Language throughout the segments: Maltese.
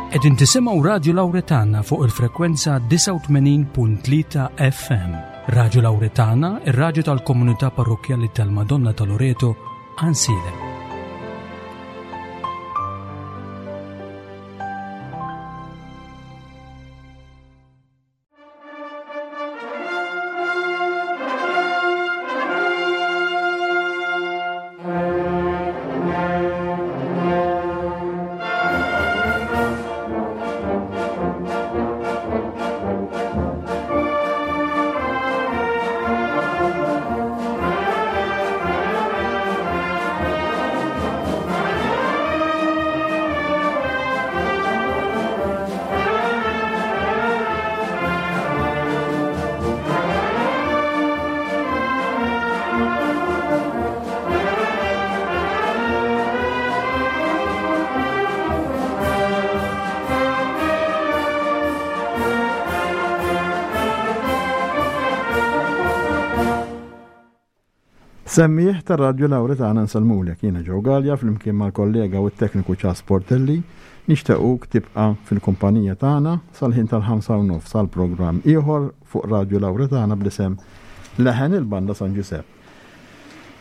Qegħdin tisimgħu Radju Lawretana fuq il-frekwenza 89.3 FM. Radju Lawretana, ir-radju tal-komunità parrokkjali tal-Madonna ta' Loreto, Għansielem. Semmiegħ tar-Radju Lawretana nsellmulek, jiena Joe Galea flimkien mal-kollega u t-tekniku Charles Portelli nixtequk tibqa' fil-kumpanija tagħna sal-ħin tal-ħamsa u nofs għal programm ieħor fuq Radju Lawretana bl-isem Leħen il-Banda San Ġużepp.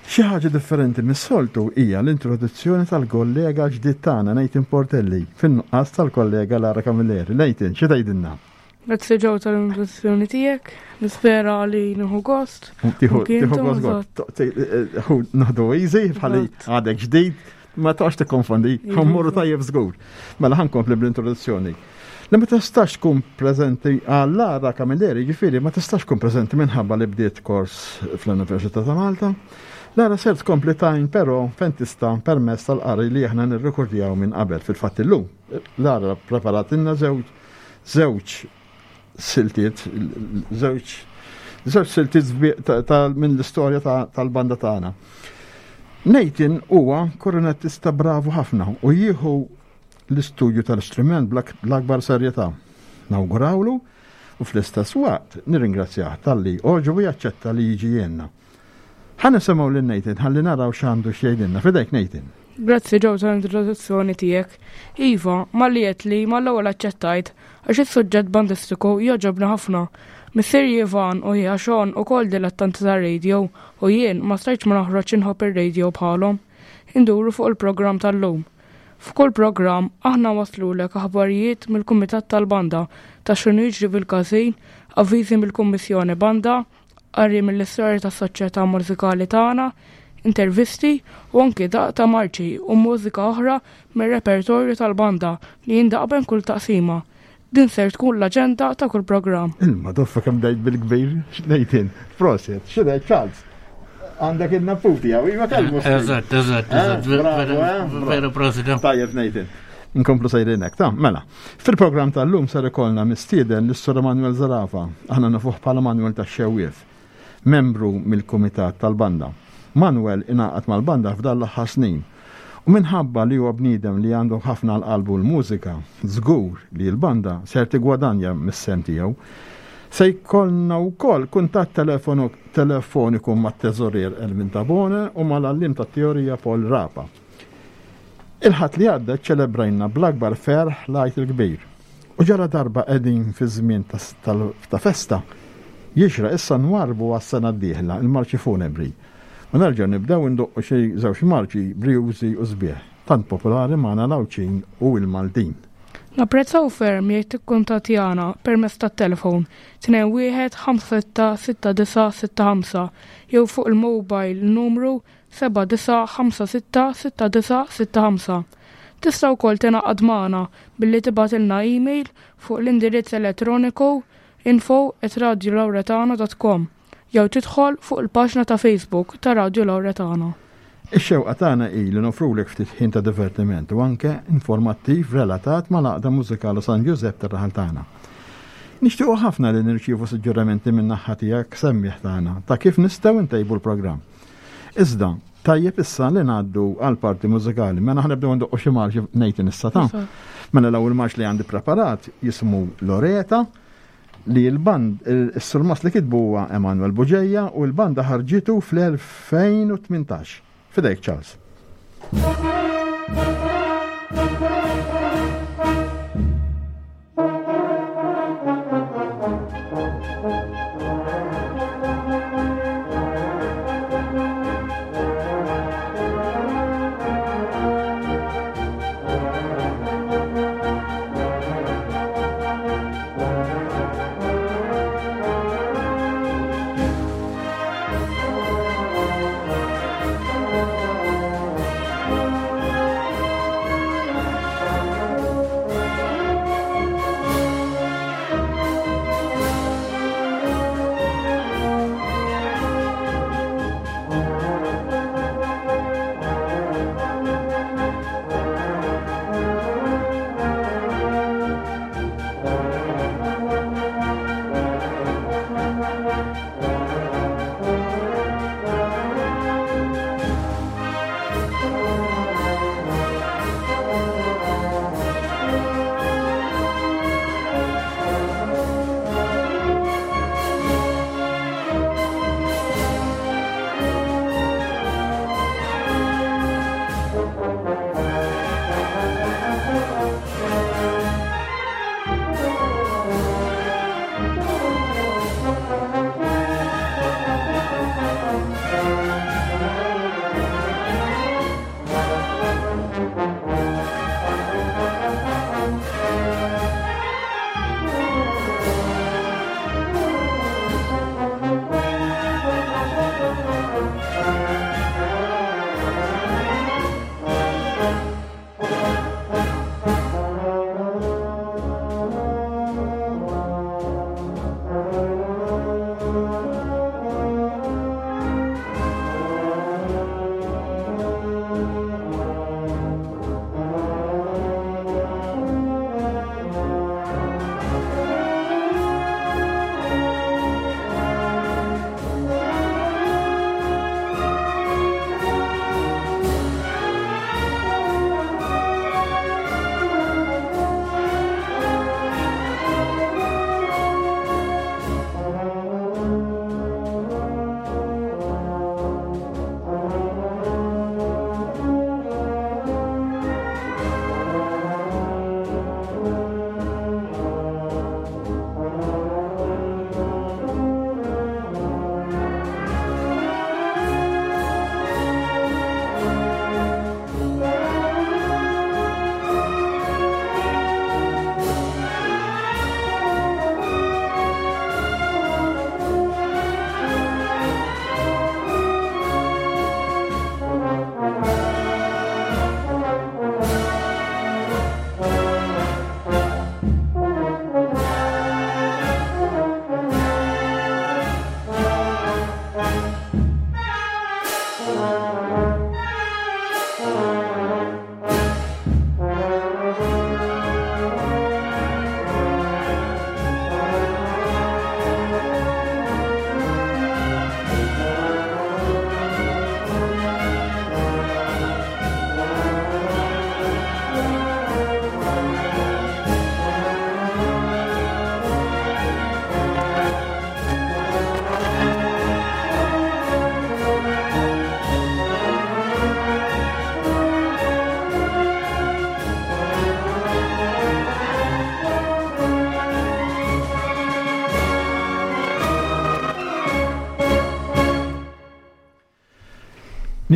Xi ħaġa differenti mis-soltu hija l-introduzzjoni tal-kollega ġdid tagħna Nathan Portelli fin-nuqqas tal-kollega Lara Camilleri. Nathan, xi tgħidilna? Grazzi Joe tal-introduzzjoni tiegħek. Nispera li nieħu gost. Tieħu gost. Naħdu easy bħali għadek ġdid, ma toqgħodx tikkonfondi, ħammorru tajjeb żgur. Mela ħankompli bl-introduzzjoni. Li ma tistax tkun preżenti għal Lara Camilleri, ġifieri ma tistax tkun preżenti minħabba li bdiet kors fl-Università ta' Malta. Lara ser tkompli tajn però fejn tista' permezz tal-qari li aħna nirrekordjaw minn qabel fil-fatt illum. Lara preparatilna żewġ żewġ siltiet, żewġ żewġ siltiet minn l-istorja tal-banda tagħna. Nathan huwa kornettista bravu ħafna u jieħu l-istudju tal-istrument bl-akbar serjetà. Nawgurawlu u fl-istess waqt nirringrazzjah talli għoġbu jaċċetta li jiġi jgħinna. Ħa nisimgħu lil Nathan ħalli naraw x'għandu x'jgħidilna. F'idejk Nathan. Grazzi Joe tal-introduzzjoni tiegħek. Iva, malli għedtli mal-ewwel aċċettajt għax is-suġġett bandistiku jogħġobni ħafna. Missieri Ivan u ħija Sean ukoll dilettanti tar-radio u jien ma stajtx ma noħroġx inħobb ir-radio bħalhom. Induru fuq il-programm tal-lum. F'kull programm, aħna nwasslulek aħbarijiet mill-Kumitat tal-Banda ta' x'inhu jiġri fil-każin, avviżi mill-Kummissjoni Banda, qari mill-istorja tas-soċjetà mużikali tagħna, intervisti u anki daqq ta' marċi u mużika oħra mir-repertorju tal-banda li jindaqq bejn kull taqsima. Din ser tkun l-aġenda ta' kull programm. Il-madoffa kemm dejt bil-kbir, x'ngħid Proset, xi ngħid Charles? Għandek il-naputi għaw, iva kelmu. Eżatt, eżatt, eh, eżatt. Eh, Veru proset. Eh. Tajjeb Nathan. Nkomplu sejrin hekk, ta' mela. Fil-programm tal-lum ser ikollna mistieden l-Sur Manuel Zarafa, aħna nafuh bħala Manuel tax-Xewwief. membru mill-kumitat tal-banda. Manuel ingħaqad mal-banda f'dan l-aħħar snin u minħabba li huwa bniedem li għandu ħafna għal qalbu l-mużika, żgur li l-banda ser tiggwadanja mis-sehem tiegħu. Se jkollna wkoll kuntatt telefoniku mat-teżorier Elvin Tabone u mal-għalliem tat-teorija Paul Rapa. Il-Ħadd li għadda ċċelebrajna bl-akbar ferħ l-Għid il-Kbir. U ġara darba qegħdin fi żmien ta' festa, jixraq issa nwarrbu għas-sena d-dieħla l-marċi funebri u nerġgħu nibdew indoqqu xi żewġ marċi brijużi u sbieħ, tant popolari magħna l-Għawdxin u l-Maltin. Napprezzaw ferm jekk tikkuntattjana permezz tat-telefon 21 56 69 65 jew fuq il-mobile numru 79566965. Tista' wkoll tingħaqad magħna billi tibgħatilna email fuq l-indirizz elettroniku info@radiolauretana.com jew tidħol fuq il-paġna ta' Facebook ta' Radio Lauretana. Ix-xewqa tagħna hi li noffrulek ftit ħin ta' divertiment u anke informattiv relatat mal-Għaqda Mużikali San Ġużepp tar-raħal tagħna. Nixtiequ ħafna li nirċievu suġġerimenti min-naħa tiegħek semmiegħ tagħna ta' kif nistgħu ntejbu l-programm. Iżda, tajjeb issa li ngħaddu għal parti mużikali. Mela ħa nibdew ndoqqu xi marċi Nathan issa ta' Mela l-ewwel marċ li għandi preparat jismu Loreta li l-band is-surmas li kitbu huwa Emanuel Buġeja u l-banda ħarġitu fl-2018. Fidejk Charles.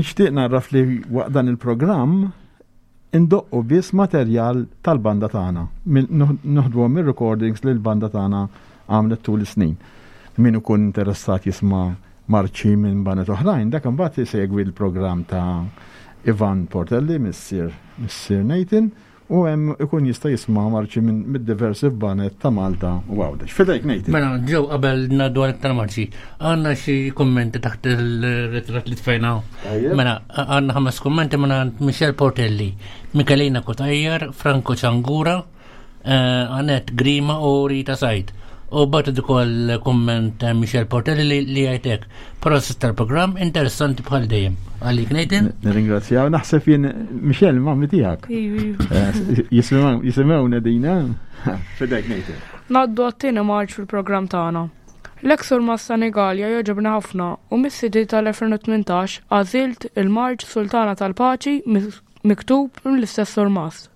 Nixtieq narraf li waqt dan il-programm indoqqu biss materjal tal-banda tagħna. Noħduhom mir-recordings li l-banda tagħna għamlet tul is-snin. Min ikun interessat jisma' marċi minn baned oħrajn, dak imbagħad isegwi l-programm ta' Ivan Portelli, missier missier Nathan, U hemm ikun jista' jisma' marċi minn mid-diversi baned ta' Malta u Għawdex. Fidejk Nathan. Mela, ġew qabel ngħaddu għal iktar marċi. Għandna xi kummenti taħt il-ritratt li tfajna. Mela, għandna ħames kummenti minn Michel Portelli, Michelina Cutajar, Franco Ciangura, eh, Annette Grima u Rita Said. U bat ukoll kumment eh, Michel Portelli li jgħidek. Prosit tal-programm interessanti bħal dejjem. Għalik Nathan? Nirringrazzjaw, naħseb jien Michel mammi tiegħek. Eh, jisimgħu Nadina. Fidejk Nathan. Naddu għat-tieni marċ fil-programm tagħna. L-eks Massa Senegalja jogħġobni ħafna u mis-CD tal-2018 għażilt il-marċ Sultana tal-Paċi miktub mill-istess Surmast.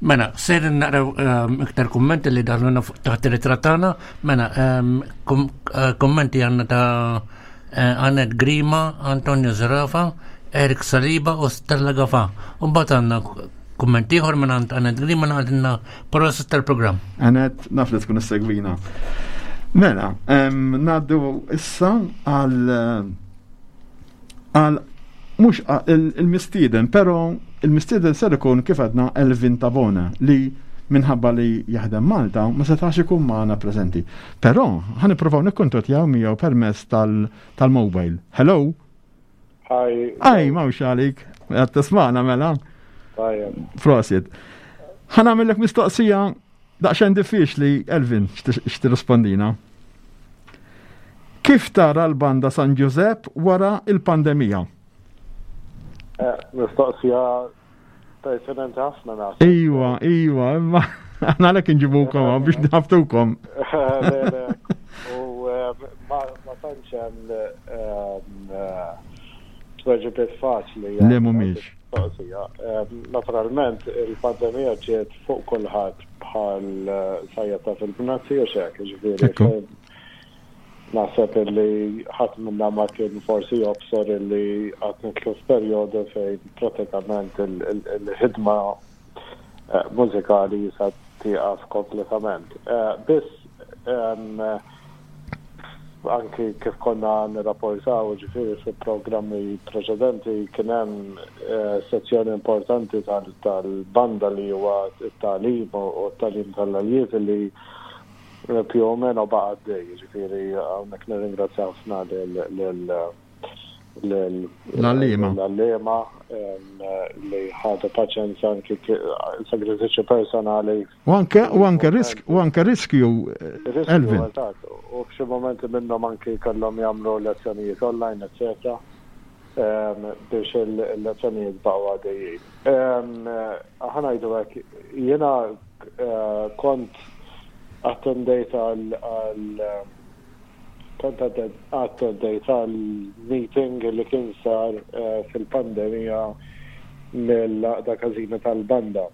Mela, ser naqraw ehm, iktar kummenti li daħluna taħt ir-ritratt tagħna. Mela, ehm, eh, kummenti għandna ta' eh, Annette Grima, Antonio Zerafa, Eric Saliba u Stella Gafa. U mbagħad għandna kumment ieħor minn għand Annette Grima naqdilna proset tal-programm. Annette, naf li tkun issegwina. Mela, ehm, ngħaddu issa għal għal mhux il-mistieden, però il-mistieden ser ikun kif għedna Elvin Tabona li minħabba li jaħdem Malta ma setax ikun magħna preżenti. Però ħa nippruvaw nikkuntattjaw miegħu permezz tal-mobile. Hello? Hi. Hi, mawx għalik. Qed tismagħna mela. Tajjeb. Prosit. Ħa nagħmellek mistoqsija Daqsxejn diffiċli, Elvin, x'tirrispondina. Kif tara l-banda San Ġużepp wara il-pandemija? Eh, mistoqsija pertinenti ħafna naħseb. Iwa, iwa, imma aħna għalhekk inġibukom biex nħaftukom. Le, le. U eh, ma tantx hemm eh, tweġibiet faċli. Le mhumiex. Mistoqsija. Naturalment, il-pandemija ġiet fuq kulħadd bħal sajjetta fil-bnazzi u xek, ġifieri. Naħseb illi ħadd minna ma kien forsi jobsor illi qatt nidħlu f'perjodu fejn pratikament il-ħidma eh, mużikali jisa tieqaf kompletament. Eh, biss anki kif konna nirrapportaw, ġifieri fi programmi preċedenti kien hemm eh, sezzjoni importanti tal-banda li huwa t-tagħlim u t-tagħlim tal-aljiet li più o meno baqa' għaddej, ġifieri hawnhekk nirringrazzja ħafna lil l-għalliema. L-għalliema li ħadu paċenza anki sagrifiċċju personali. U anke u anke risk u anke riskju Elvin. U f'xi momenti minnhom anki kellhom jagħmlu lezzjonijiet online, eccetera, biex il-lezzjonijiet baqgħu għaddejjin. Aħna ngħidu hekk, jiena eh, kont attendejt għal Kont attendejt għal meeting li kien sar eh, fil-pandemija mill-Għaqda Każini tal-Banda.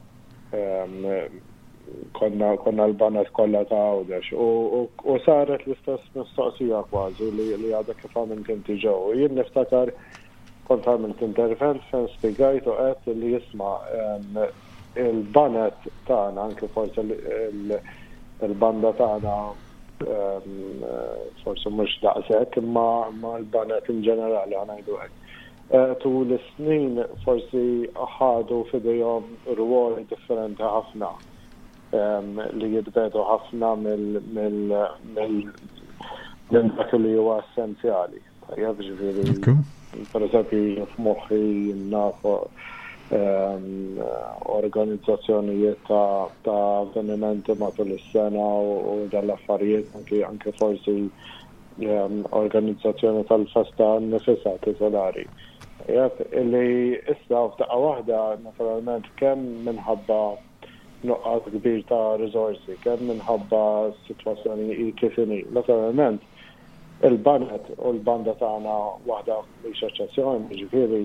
Konna konna l-baned kollha ta' Għawdex u saret l-istess mistoqsija kważi li għadha kif għamilt inti ġew. Jien niftakar kont għamilt intervent fejn spjegajt u għedt li isma' il-baned tagħna anke forsi il-banda tagħna forsi mhux daqshekk imma l-baned in ġenerali ħa ngħidu hekk. Eh, tul is-snin forsi ħadu f'idejhom rwoli differenti ħafna li jitbedu ħafna mill dak li huwa essenzjali. Tajjeb, ġifieri, per eżempju, f'moħħi naf ehm, organizzazzjonijiet ta', ta avvenimenti matul is-sena u dal-affarijiet anki anke forsi ehm, organizzazzjoni tal-festa nifisha titolari. Tajjeb, illi issa f'daqqa waħda naturalment kemm minħabba nuqqas kbir ta' riżorsi, kemm minħabba s-sitwazzjoni hi kif inhi. Naturalment, il-baned u l-banda tagħna waħda mhix eċċezzjoni, jiġifieri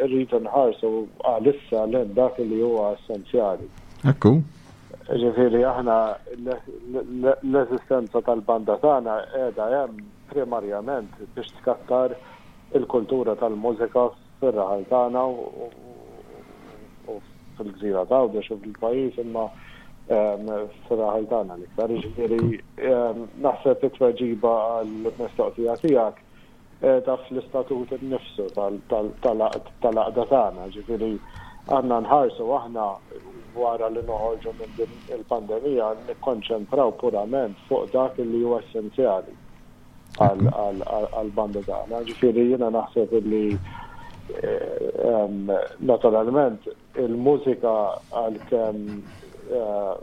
rridu nħarsu għalissa lejn dak li huwa essenzjali. Ekku. Jiġifieri aħna l-eżistenza tal-banda tagħna qiegħda hemm primarjament biex tkattar il-kultura tal-mużika fir-raħal tagħna u fil-gżira ta' Għawdex u fil-pajjiż imma ehm, fir-raħal tagħna l-iktar. Jiġifieri ehm, naħseb it-tweġiba għall-mistoqsija tiegħek eh, taf l-istatut innifsu tal-għaqda tagħna, ġifieri għandna nħarsu aħna wara li noħorġu minn din il-pandemija nikkonċentraw purament fuq dak li huwa essenzjali. għall-banda tagħna. Ġifieri jiena naħseb li eh, naturalment il-mużika għalkemm eh,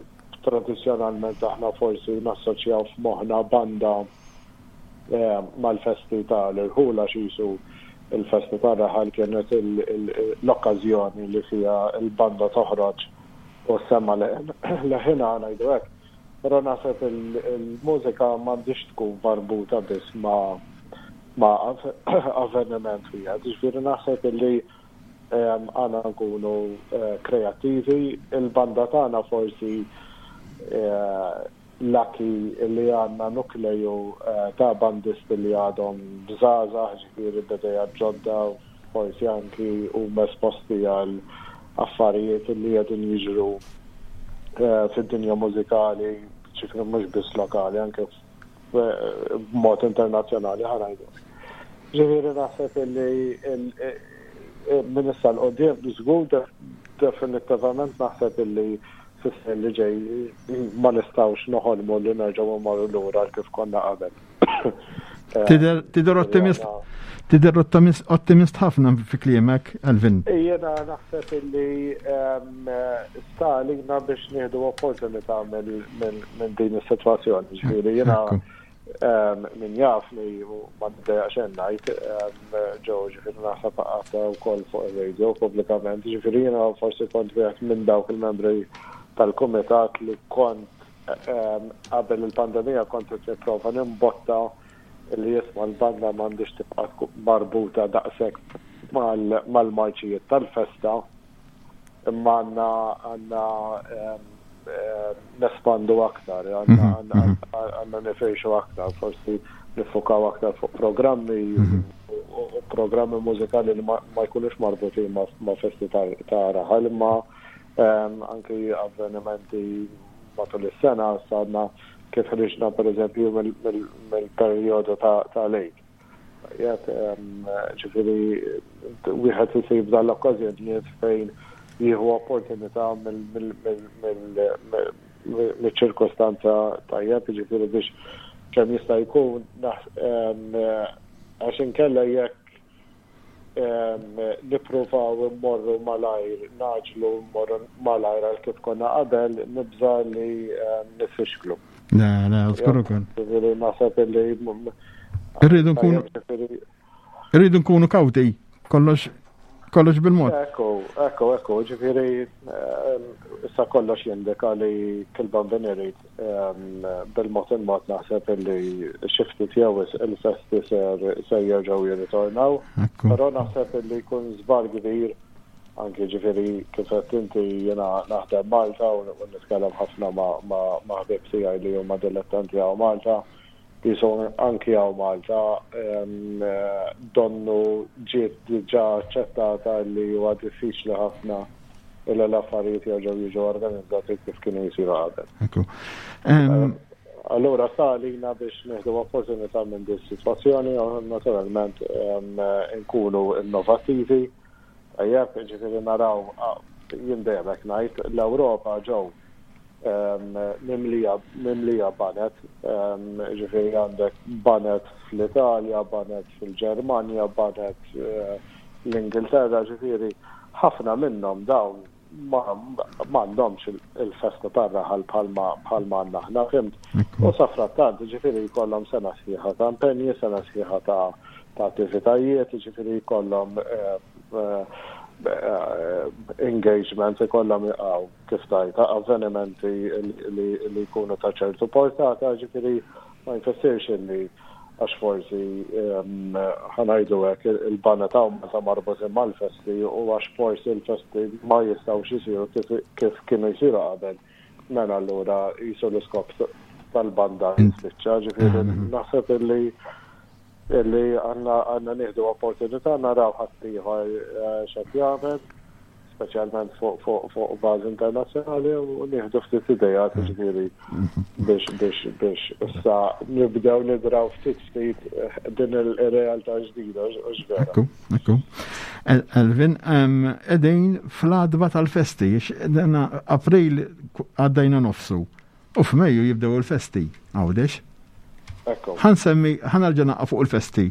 tradizzjonalment aħna forsi nassoċjaw f'moħħna banda eh, mal-festi ta' l-irħula xisu il-festa ta' raħal kienet l-okkażjoni li fija il-banda toħroġ u semma leħina ngħidu hekk. Però naħseb il-mużika m'għandhiex tkun marbuta biss ma' ma' avveniment wieħed. Jiġifieri naħseb illi Għandna nkunu kreattivi. Il-banda tagħna forsi lucky li għandna nukleju ta' bandisti li għadhom żgħażagħ, ġifieri b'idejat ġodda, forsi anki huma esposti għal affarijiet li qegħdin jiġru fid-dinja mużikali, ġifieri mhux biss lokali, anke b'mod internazzjonali ħa ngħidu. Ġifieri naħseb li minn issa 'l quddiem żgur definittivament naħseb illi fis-snin li ġej ma nistgħux noħolmu li nerġgħu mmorru lura għal kif konna qabel. Tidher ottimist tidher ottimist ħafna fi kliemek, Elvin. Jiena naħseb illi sta għalina biex nieħdu opportunità minn din is-sitwazzjoni. Ġifieri jiena min jafni u ma niddejjaq xejn ngħid ġew ġifieri naħseb għadha wkoll fuq ir-radio pubblikament, ġifieri jiena forsi kont wieħed minn dawk il-membri tal-kumitat li kont qabel il-pandemija kont qed nipprova nimbotta li jisma' l-banda m'għandhiex tibqa' marbuta daqshekk mal-marċijiet tal-festa imma għandna għandna nespandu aktar, għandna mhm, mhm. nifirxu aktar, forsi nifukaw aktar fuq programmi mhm. u programmi mużikali li ma jkunux marbutin ma' festi ta' raħal, imma anki avvenimenti matul is-sena sadna kif ħriġna per eżempju mill-perjodu ta' lejk. Jgħid, ġifieri wieħed isib dan l-okkażjonijiet fejn jieħu opportunità mill-ċirkostanza tajjeb, ġifieri biex kemm jista' jkun għax inkella jekk nippruvaw immorru malajr, ngħaġġlu mmorru malajr għal kif konna qabel, nibża' li nifixklu. Le, le, żgur ukoll. Ġifieri naħseb li Irridu nkunu Irridu nkunu kawti, kollox kollox bil-mod. Ekku, ekku, ekku, ġifieri issa kollox jindika li kull bambin irid bil-mod il-mod naħseb li xi ftit jew il-festi ser ser jerġgħu jirritornaw. Però naħseb li jkun żball kbir Anki ġifieri kif għedt inti jiena naħdem Malta u nitkellem ħafna ma' ħbieb tiegħi li huma dilettanti hawn Malta. Qisu anki hawn Malta donnu ġiet diġà aċċettata li huwa diffiċli ħafna illi l-affarijiet jerġgħu jiġu organizzati kif kienu jsiru qabel. Ekku. Allura sta għalina biex nieħdu opportunità minn din is-sitwazzjoni u naturalment nkunu innovattivi. Tajjeb, jiġifieri naraw, jien dejjem hekk ngħid, l-Ewropa ġew mimlija mimlija baned, jiġifieri għandek baned fl-Italja, baned fil-Ġermanja, baned l-Ingilterra, ġifieri ħafna minnhom dawn ma m'għandhomx il-festa tar-raħal bħalma bħalma għandna aħna, fhimt? U safrattant, jiġifieri jkollhom sena sħiħa ta' impenji, sena sħiħa ta' ta' attivitajiet, jiġifieri jkollhom eh, eh, engagement, ikollhom jaqgħu kif tajt, avvenimenti li jkunu ta' ċertu portata, jiġifieri ma jfissirx illi għax forsi ehm, ħanajdu hekk il-banda ta' ta' marbutin mal-festi u għax forsi l-festi ma jistgħux isiru kif kienu jsiru qabel. Mela allura jisu l-iskop tal-banda jispiċċa, ġifieri naħseb illi illi għandna għandna nieħdu opportunità naraw ħaddieħor eh, x'qed jagħmel, speċjalment fuq fuq fuq bażi internazzjonali u nieħdu ftit idejat mm. ġifieri biex biex biex issa nibdew nidraw ftit ftit eh, din il-realtà ġdida u vera. Ekku, ekku. Elvin, qegħdin fl-adba tal-festi, April għaddejna nofsu. U f'Mejju jibdew il-festi, Għawdex. Ħa nsemmi, ħa nerġa' naqa' fuq il-festi.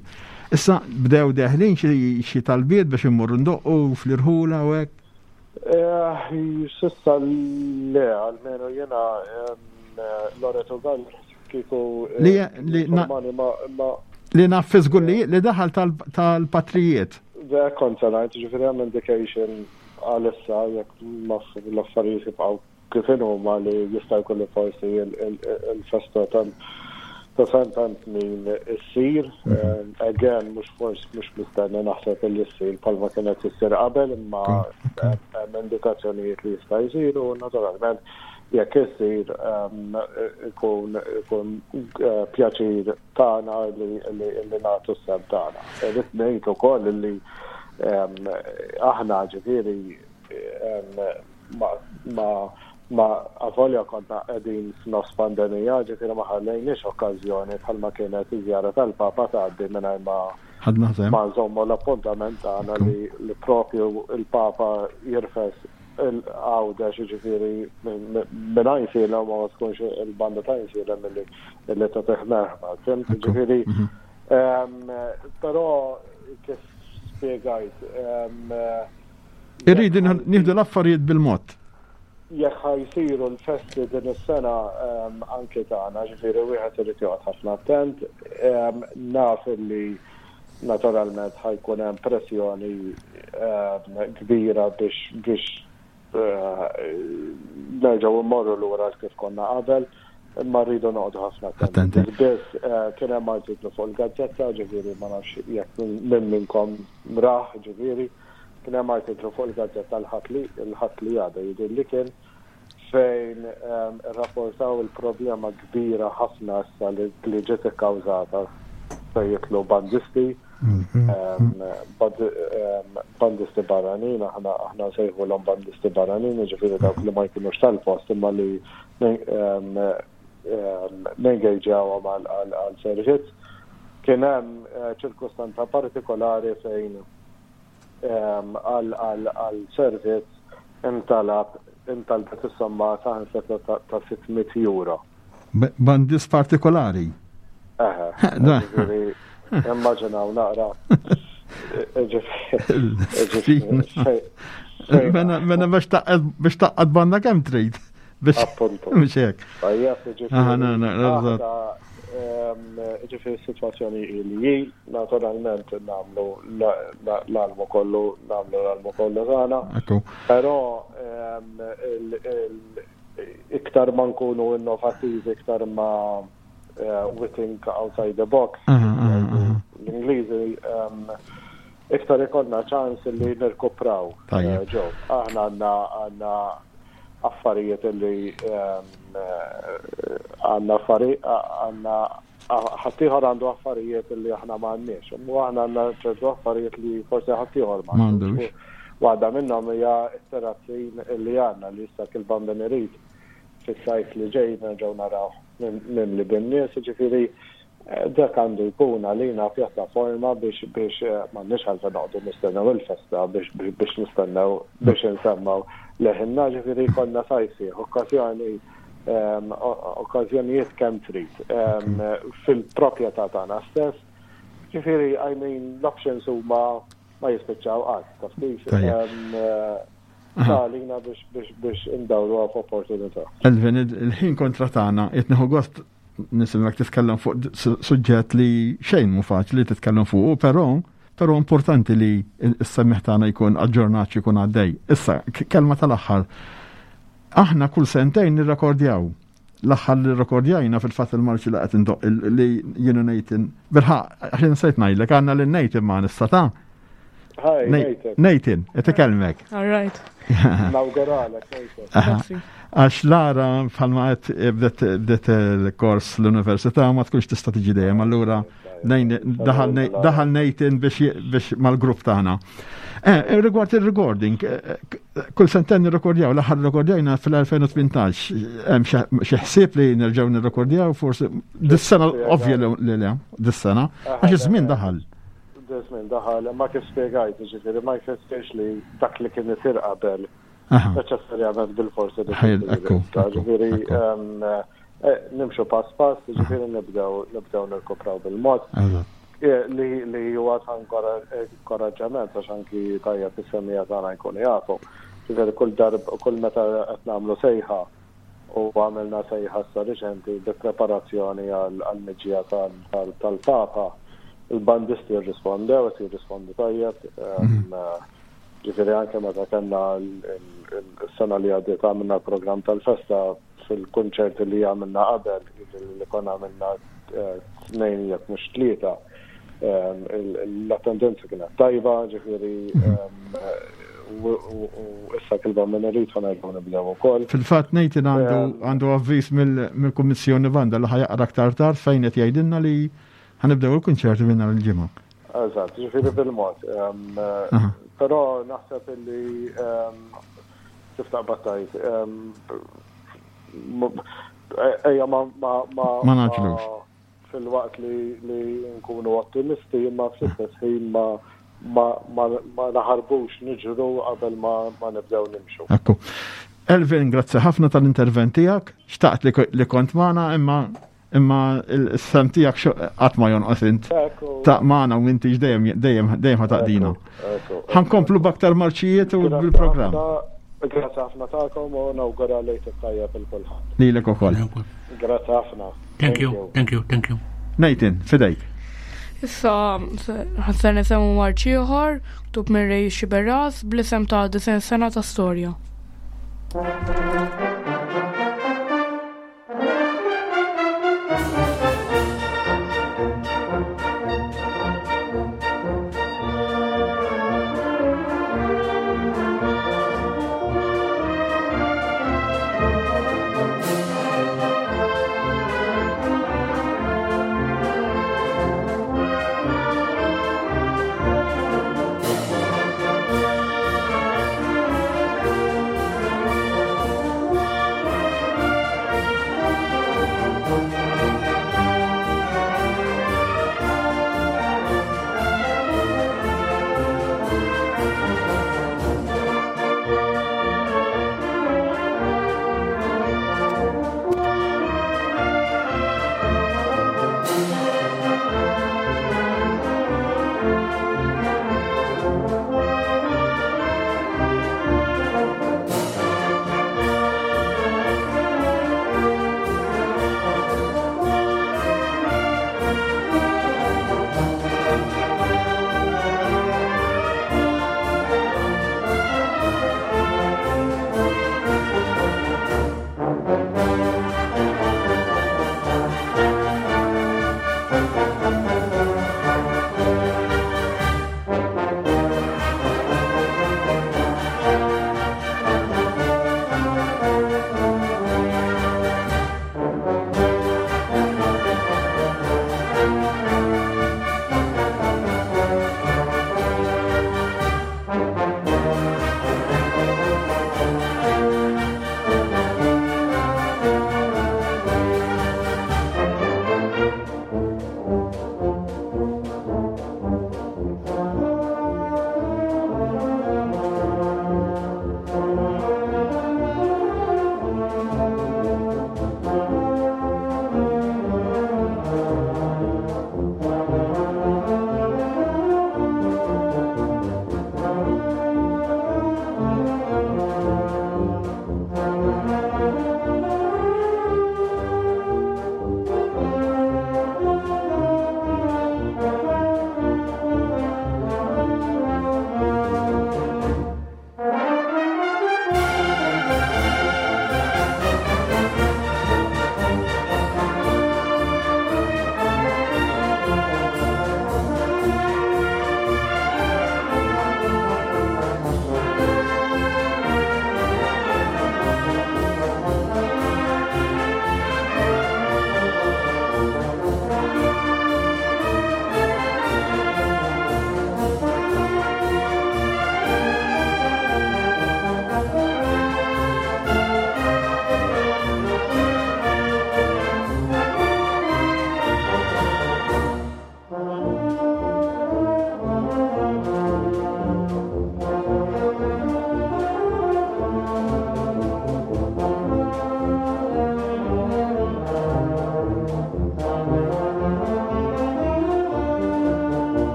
Issa bdew deħlin xi talbiet biex immorru ndoqqu fl-irħula u hekk? Eh, sissa le, almenu jiena Loreto Gall kieku eh, li li naf żgur li li daħal tal-patrijiet. Da kont se ngħid, ġifieri hemm indication għalissa jekk l-affarijiet jibqgħu kif inhuma li jista' jkun li forsi il-festa tal Ta' sentejn snin issir, again mhux forsi mhux mistenni naħseb li ssir bħalma kienet issir qabel imma hemm indikazzjonijiet li jista' jsir u naturalment jekk issir ikun ikun pjaċir tagħna li li nagħtu s-sehem tagħna. Irrid ngħid ukoll li aħna ġifieri ma ma ma avolja konna qegħdin f'nofs pandemija, ġifieri ma ħallejniex okkażjoni bħalma kienet iż-żjara tal-Papa tgħaddi mingħajr ma Ħadna sehem. ma nżommu l-appuntament tagħna li li propju il-Papa jirfes il-Għawdex ġifieri minn Għajnsielem ma tkunx il-banda ta' Għajnsielem illi illi tagħtih merħba. Fhimt? Ġifieri però kif spjegajt Irridu nieħdu l-affarijiet bil-mod. Jekk ħa jsiru l-festi din is-sena anki tagħna, ġifieri wieħed irid joqgħod ħafna attent. Naf illi naturalment ħa jkun hemm pressjoni kbira biex biex nerġgħu mmorru lura kif konna qabel, imma rridu noqogħdu ħafna attenti. Biss kien hemm artiklu fuq il-gazzetta, ġifieri ma nafx jekk minn minnkom rah, ġifieri. Kien hemm artiklu fuq il-gazzetta l-Ħadd li l-Ħadd li għadda jidher li kien fejn irrapportaw il-problema kbira ħafna issa li li ġiet ikkawżata fejn jidħlu bandisti bandisti barranin, aħna aħna nsejħulhom bandisti barranin, jiġifieri dawk li ma jkunux tal-post imma li nengejġawhom għal servizz. Kien hemm ċirkustanza partikolari fejn għal servizz intalab intalbet is-somma saħansitra ta' 600 euro. Bandist partikolari. Eħe. Ġifieri immaġinaw naqra. Mela biex taqqad banda kemm trid. Appuntu. Mhux hekk. Tajjeb, ġifieri. Ġifieri s-sitwazzjoni li hi, naturalment nagħmlu l-almu kollu, nagħmlu l-almu kollu tagħna. Però iktar ma nkunu innovattivi, iktar ma eh, we think outside the box. L-Ingliżi iktar ikollna ċans li nirkupraw. Eh, ġew, aħna għandna għandna affarijiet li għandna affarijiet għandna ħaddieħor għandu affarijiet li aħna m'għandniex. U aħna għandna ċertu affarijiet li forsi ħaddieħor m'għandux. Waħda minnhom hija t-terrazzin li għandna li issa kil bambin irid fis-sajf li ġej nerġgħu naraw mimli bin-nies, ġifieri Dak għandu jkun għalina pjattaforma biex biex m'għandniex għalfejn noqogħdu nistennew il-festa biex biex nistennew biex insemmgħu leħinna, ġifieri jkollna sajf sħiħ, okkażjoni okkażjonijiet kemm trid fil-proprjetà tagħna stess. Ġifieri I mean l-options huma ma jispiċċaw qatt, taf kif? Għalina biex biex biex indawruha f'opportunità. Elvin, il-ħin kontra tagħna, qed nieħu gost nisimgħek titkellem fuq suġġett li xejn mhu faċli titkellem fuqu, però però importanti li s-semmiħ tagħna jkun aġġornat jkun għaddej. Issa, kelma tal-aħħar. Aħna kull sentejn nirrekordjaw. L-aħħar li rrekordjajna fil-fatt il-marċi li qed indoq li jienu Nathan. Bilħaq, għax insejt ngħidlek għandna lil Nathan ma nista' ta' Hi, Nathan. Nathan, qed ikellmek. All right. Nawguralek, Nathan. Għax Lara bħalma qed eh, bdet il-kors l-università ma tkunx tista' tiġi dejjem, allura daħal Nathan biex mal-grupp tagħna. Eh, eh, rigward il-recording, kull senten nirrekordjaw, l-aħħar rekordjajna fil-2018, hemm xi ħsieb li nerġgħu nirrekordjaw forsi dis-sena ovvja li le, dis-sena, għax iż-żmien daħal. Żmien daħal, ma kif spjegajt, ġifieri ma jfissirx li dak li kien isir qabel neċessarjament bil-forsi li Ġifieri eh, nimxu pass pass, ġifieri nibdew nibdew nirkupraw bil-mod. Eh, li li huwa ta' inkoraġġament għax anki tajjeb is-semija tagħna jkunu jafu. Ġifieri kull darb kull meta qed nagħmlu sejħa u għamilna sejħa issa riċenti bi preparazzjoni għall-miġja tal-Papa. Il-bandisti rrispondew, qed jirrispondu tajjeb. Mhm. Ġifieri anke meta kellna s-sena li għaddiet għamilna l-programm tal-festa fil-kunċerti li għamilna qabel, jiġifieri li konna għamilna tnejn jekk mhux tlieta l-attendenza kienet tajba, ġifieri u issa kilba minn irid ħa nerġgħu nibdew ukoll. Fil-fatt Nathan għandu avviż mill-Kummissjoni Banda li ħajaqra aktar tard fejn qed jgħidilna li ħanibdew il-kunċerti minn nhar il-ġimgħa. Eżatt, ġifieri bil-mod. Però naħseb illi kif taqbad tgħid ejja ma ma ma naġlux. Filwaqt li li nkunu ottimisti imma fl-istess ħin ma ma ma ma naħarbux niġru qabel ma ma nibdew nimxu. Ekku. Elvin, grazzi ħafna tal-intervent tiegħek. Xtaqt li, li kont magħna imma imma s-sem tiegħek qatt ma jonqos int. Ta' magħna u inti dejjem dejjem dejjem ħataqdina. Ħankomplu b'aktar marċijiet u bil-programm. Grazzi ħafna tagħkom u nawgura lejt it-tajjeb il kulħadd. Lilek ukoll. Grazzi ħafna. Thank you, thank you, thank you. Nathan, fidejk. Issa, ħasser nisemmu marċ ieħor, ktub minn Ray Xiberras bl-isem ta' Disen sena ta' storja.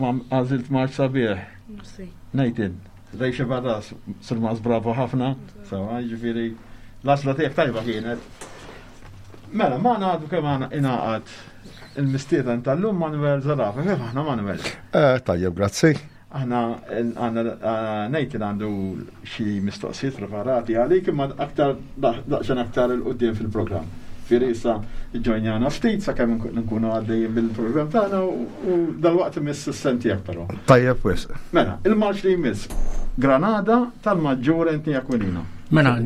kemm għażilt marċ sabiħ. Nathan, Rejxe Barras, Surmas bravo ħafna, sawa, ġifieri l-għażla tiegħek tajba kienet. Mela, ma ngħadu kemm għandna ingħaqad il-mistieden tal-lum Manuel Zarafa. Kif aħna Manuel? Eh, tajjeb, grazzi. Aħna għandna eh, Nathan għandu xi mistoqsijiet preparati għalik imma aktar daqsxejn aktar il qudiem fil-programm. Fieri issa ġojnjana ftit sakemm nkunu għaddejjin bil-programm tagħna u dal-waqt imiss is-sem tiegħek però. Tajjeb wisq. Mela, il-marċ li jmiss Granada tal-Maġġur Anthony Aquilina. Mela,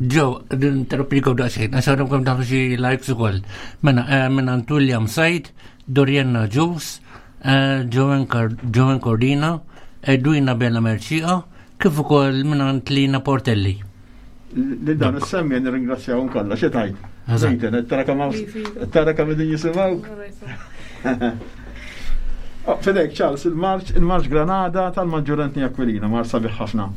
ġew interrompikom daqsxejn, għax għadhom kemm daħlu xi likes ukoll. Mela, eh, minn għand William Said, Dorienna Ġus, eh, Joan Cordina, Edwina Bella Merċiqa, kif ukoll minn għand Lina Portelli. Li dan is-semmi nirringrazzjahom kollha, xi tajt. Internet, tara kemm tara kemm qegħdin jisimgħuk. Oh, Fedek, Charles, il-marċ, il-marċ Granada tal-Maġġur Anthony Aquilina, mar sabiħ ħafna.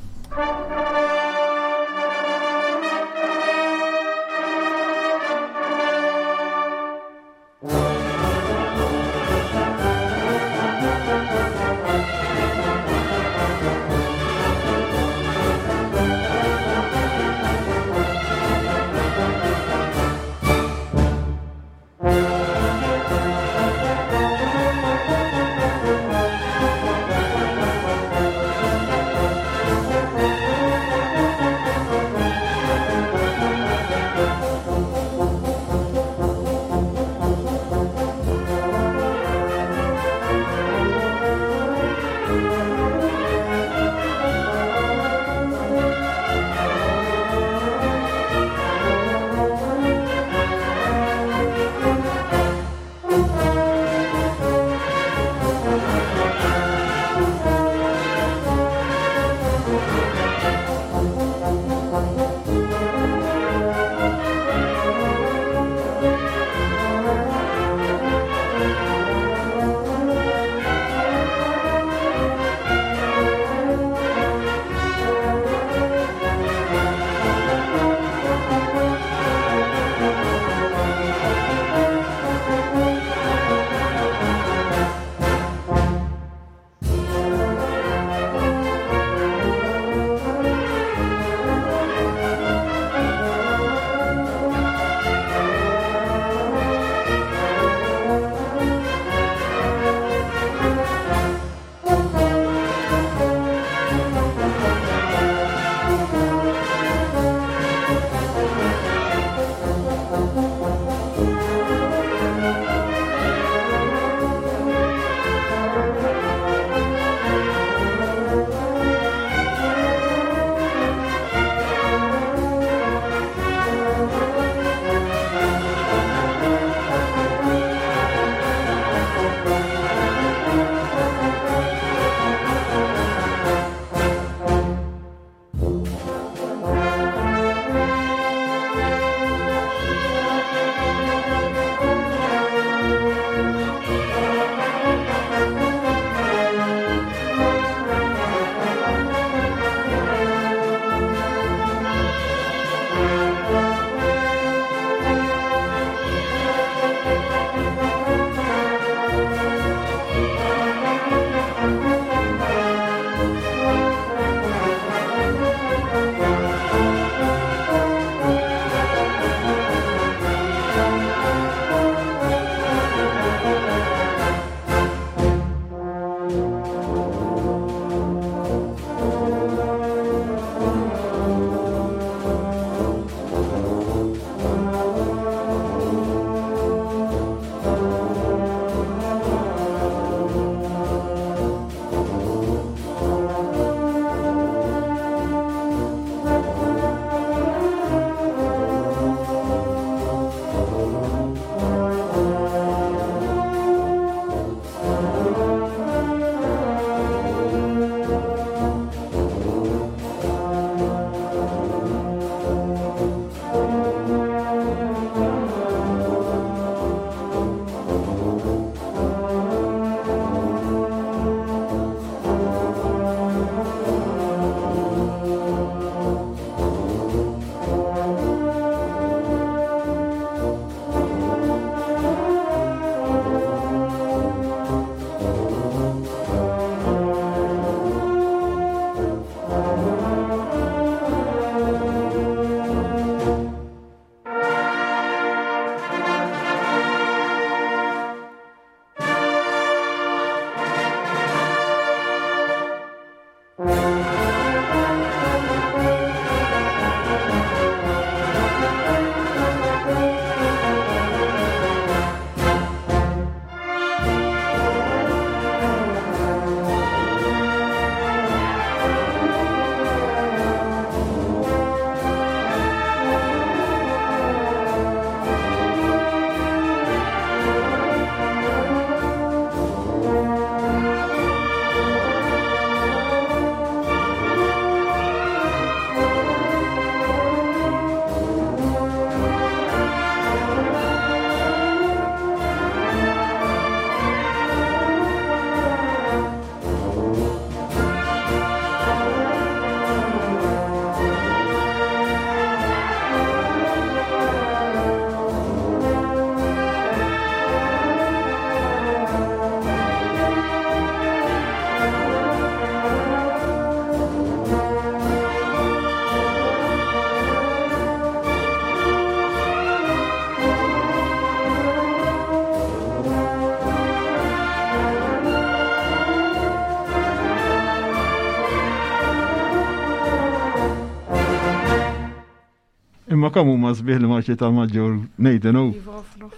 Imma kemm huma sbieħ li marċi tal-maġġur Nathan u Iva, ħafna.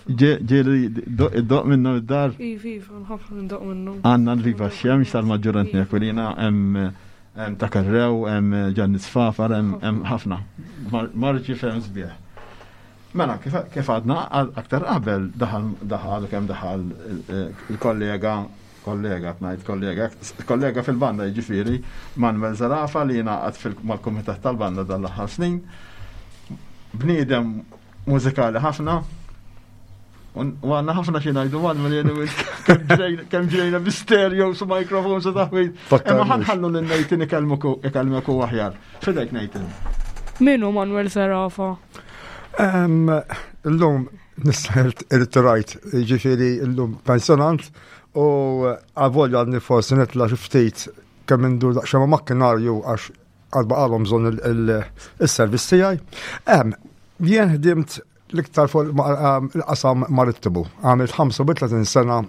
ġieli iddoq minnhom id-dar. Iva, iva, ħafna ndoq minnhom. Għandna l-Viva Xemx tal-Maġġur Anthony Aquilina, hemm hemm ta' Karrew, hemm Ġanni Sfafar, hemm ħafna. Marċi ferm sbieħ. Mela, kif għadna aktar qabel daħal daħal kemm daħal il-kollega kollega ngħid kollega kollega fil-banda jiġifieri Manuel Zarafa li jingħaqad mal-kumitat tal-banda dal-aħħar snin. Bniedem mużikali ħafna, U għanna ħafna xi ngħidu Manuel jien kemm ġrejna bi stereo su mikrofon su taħwid. Imma ħanħallu lil Nathan ikellmek u aħjar. Fidejk Nathan. Min hu Manuel Zerafa? Illum nista' irtirajt, ġifieri illum pensjonant u għavolja għadni forsi nitla' xi ftit kemm indur daqsxejn ma' makkinarju għax għad baqalhom bżonn il-servizz tiegħi. Jien ħdimt l-iktar fuq il-qasam marittimu. Għamilt 35 sena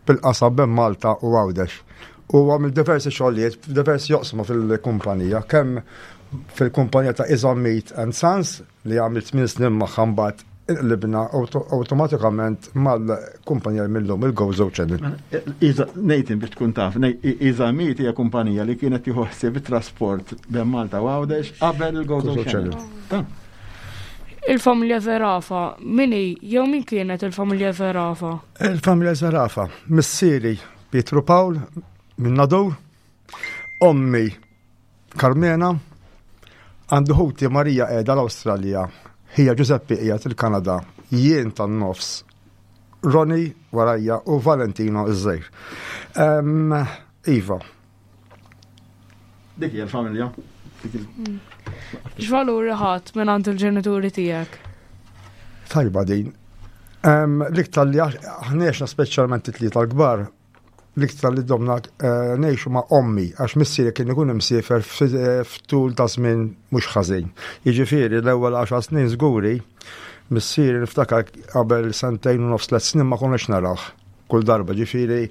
fil-qasam bejn Malta u Għawdex. U għamilt diversi xogħlijiet f'diversi joqsma fil-kumpanija, kemm fil-kumpanija ta' Izam Meat and Sons li għamilt 8 snin magħha mbagħad inqlibna awtomatikament mal-kumpanija mill-lum il-Gozo Channel. Nathan biex tkun taf, Iza Meat hija kumpanija li kienet tieħu ħsieb it-trasport bejn Malta u Għawdex qabel il-Gozo Channel. Il-familja Zerafa, min hi jew min kienet il-familja Zerafa? Il-familja Zerafa, missieri Pietru Pawl minn Nadur, ommi Carmena, għandu ħuti Marija qiegħda l-Awstralja, ħija Giuseppe qiegħed il-Kanada, jien tan-nofs, Ronnie warajja u Valentino iż-żgħir. Iva, Dik hija l-familja. X'valuri ħadd minn għand il-ġenituri tiegħek? Tajba din. L-iktar li ħnex speċjalment it-tlieta l-kbar, l-iktar li domna eh, ngħixu ma' ommi għax missieri kien ikun imsiefer eh, f'tul ta' żmien mhux ħażin. Jiġifieri l-ewwel 10 snin żguri missieri niftakar qabel sentejn u nofs tliet snin ma konniex narawh. Kull darba ġifieri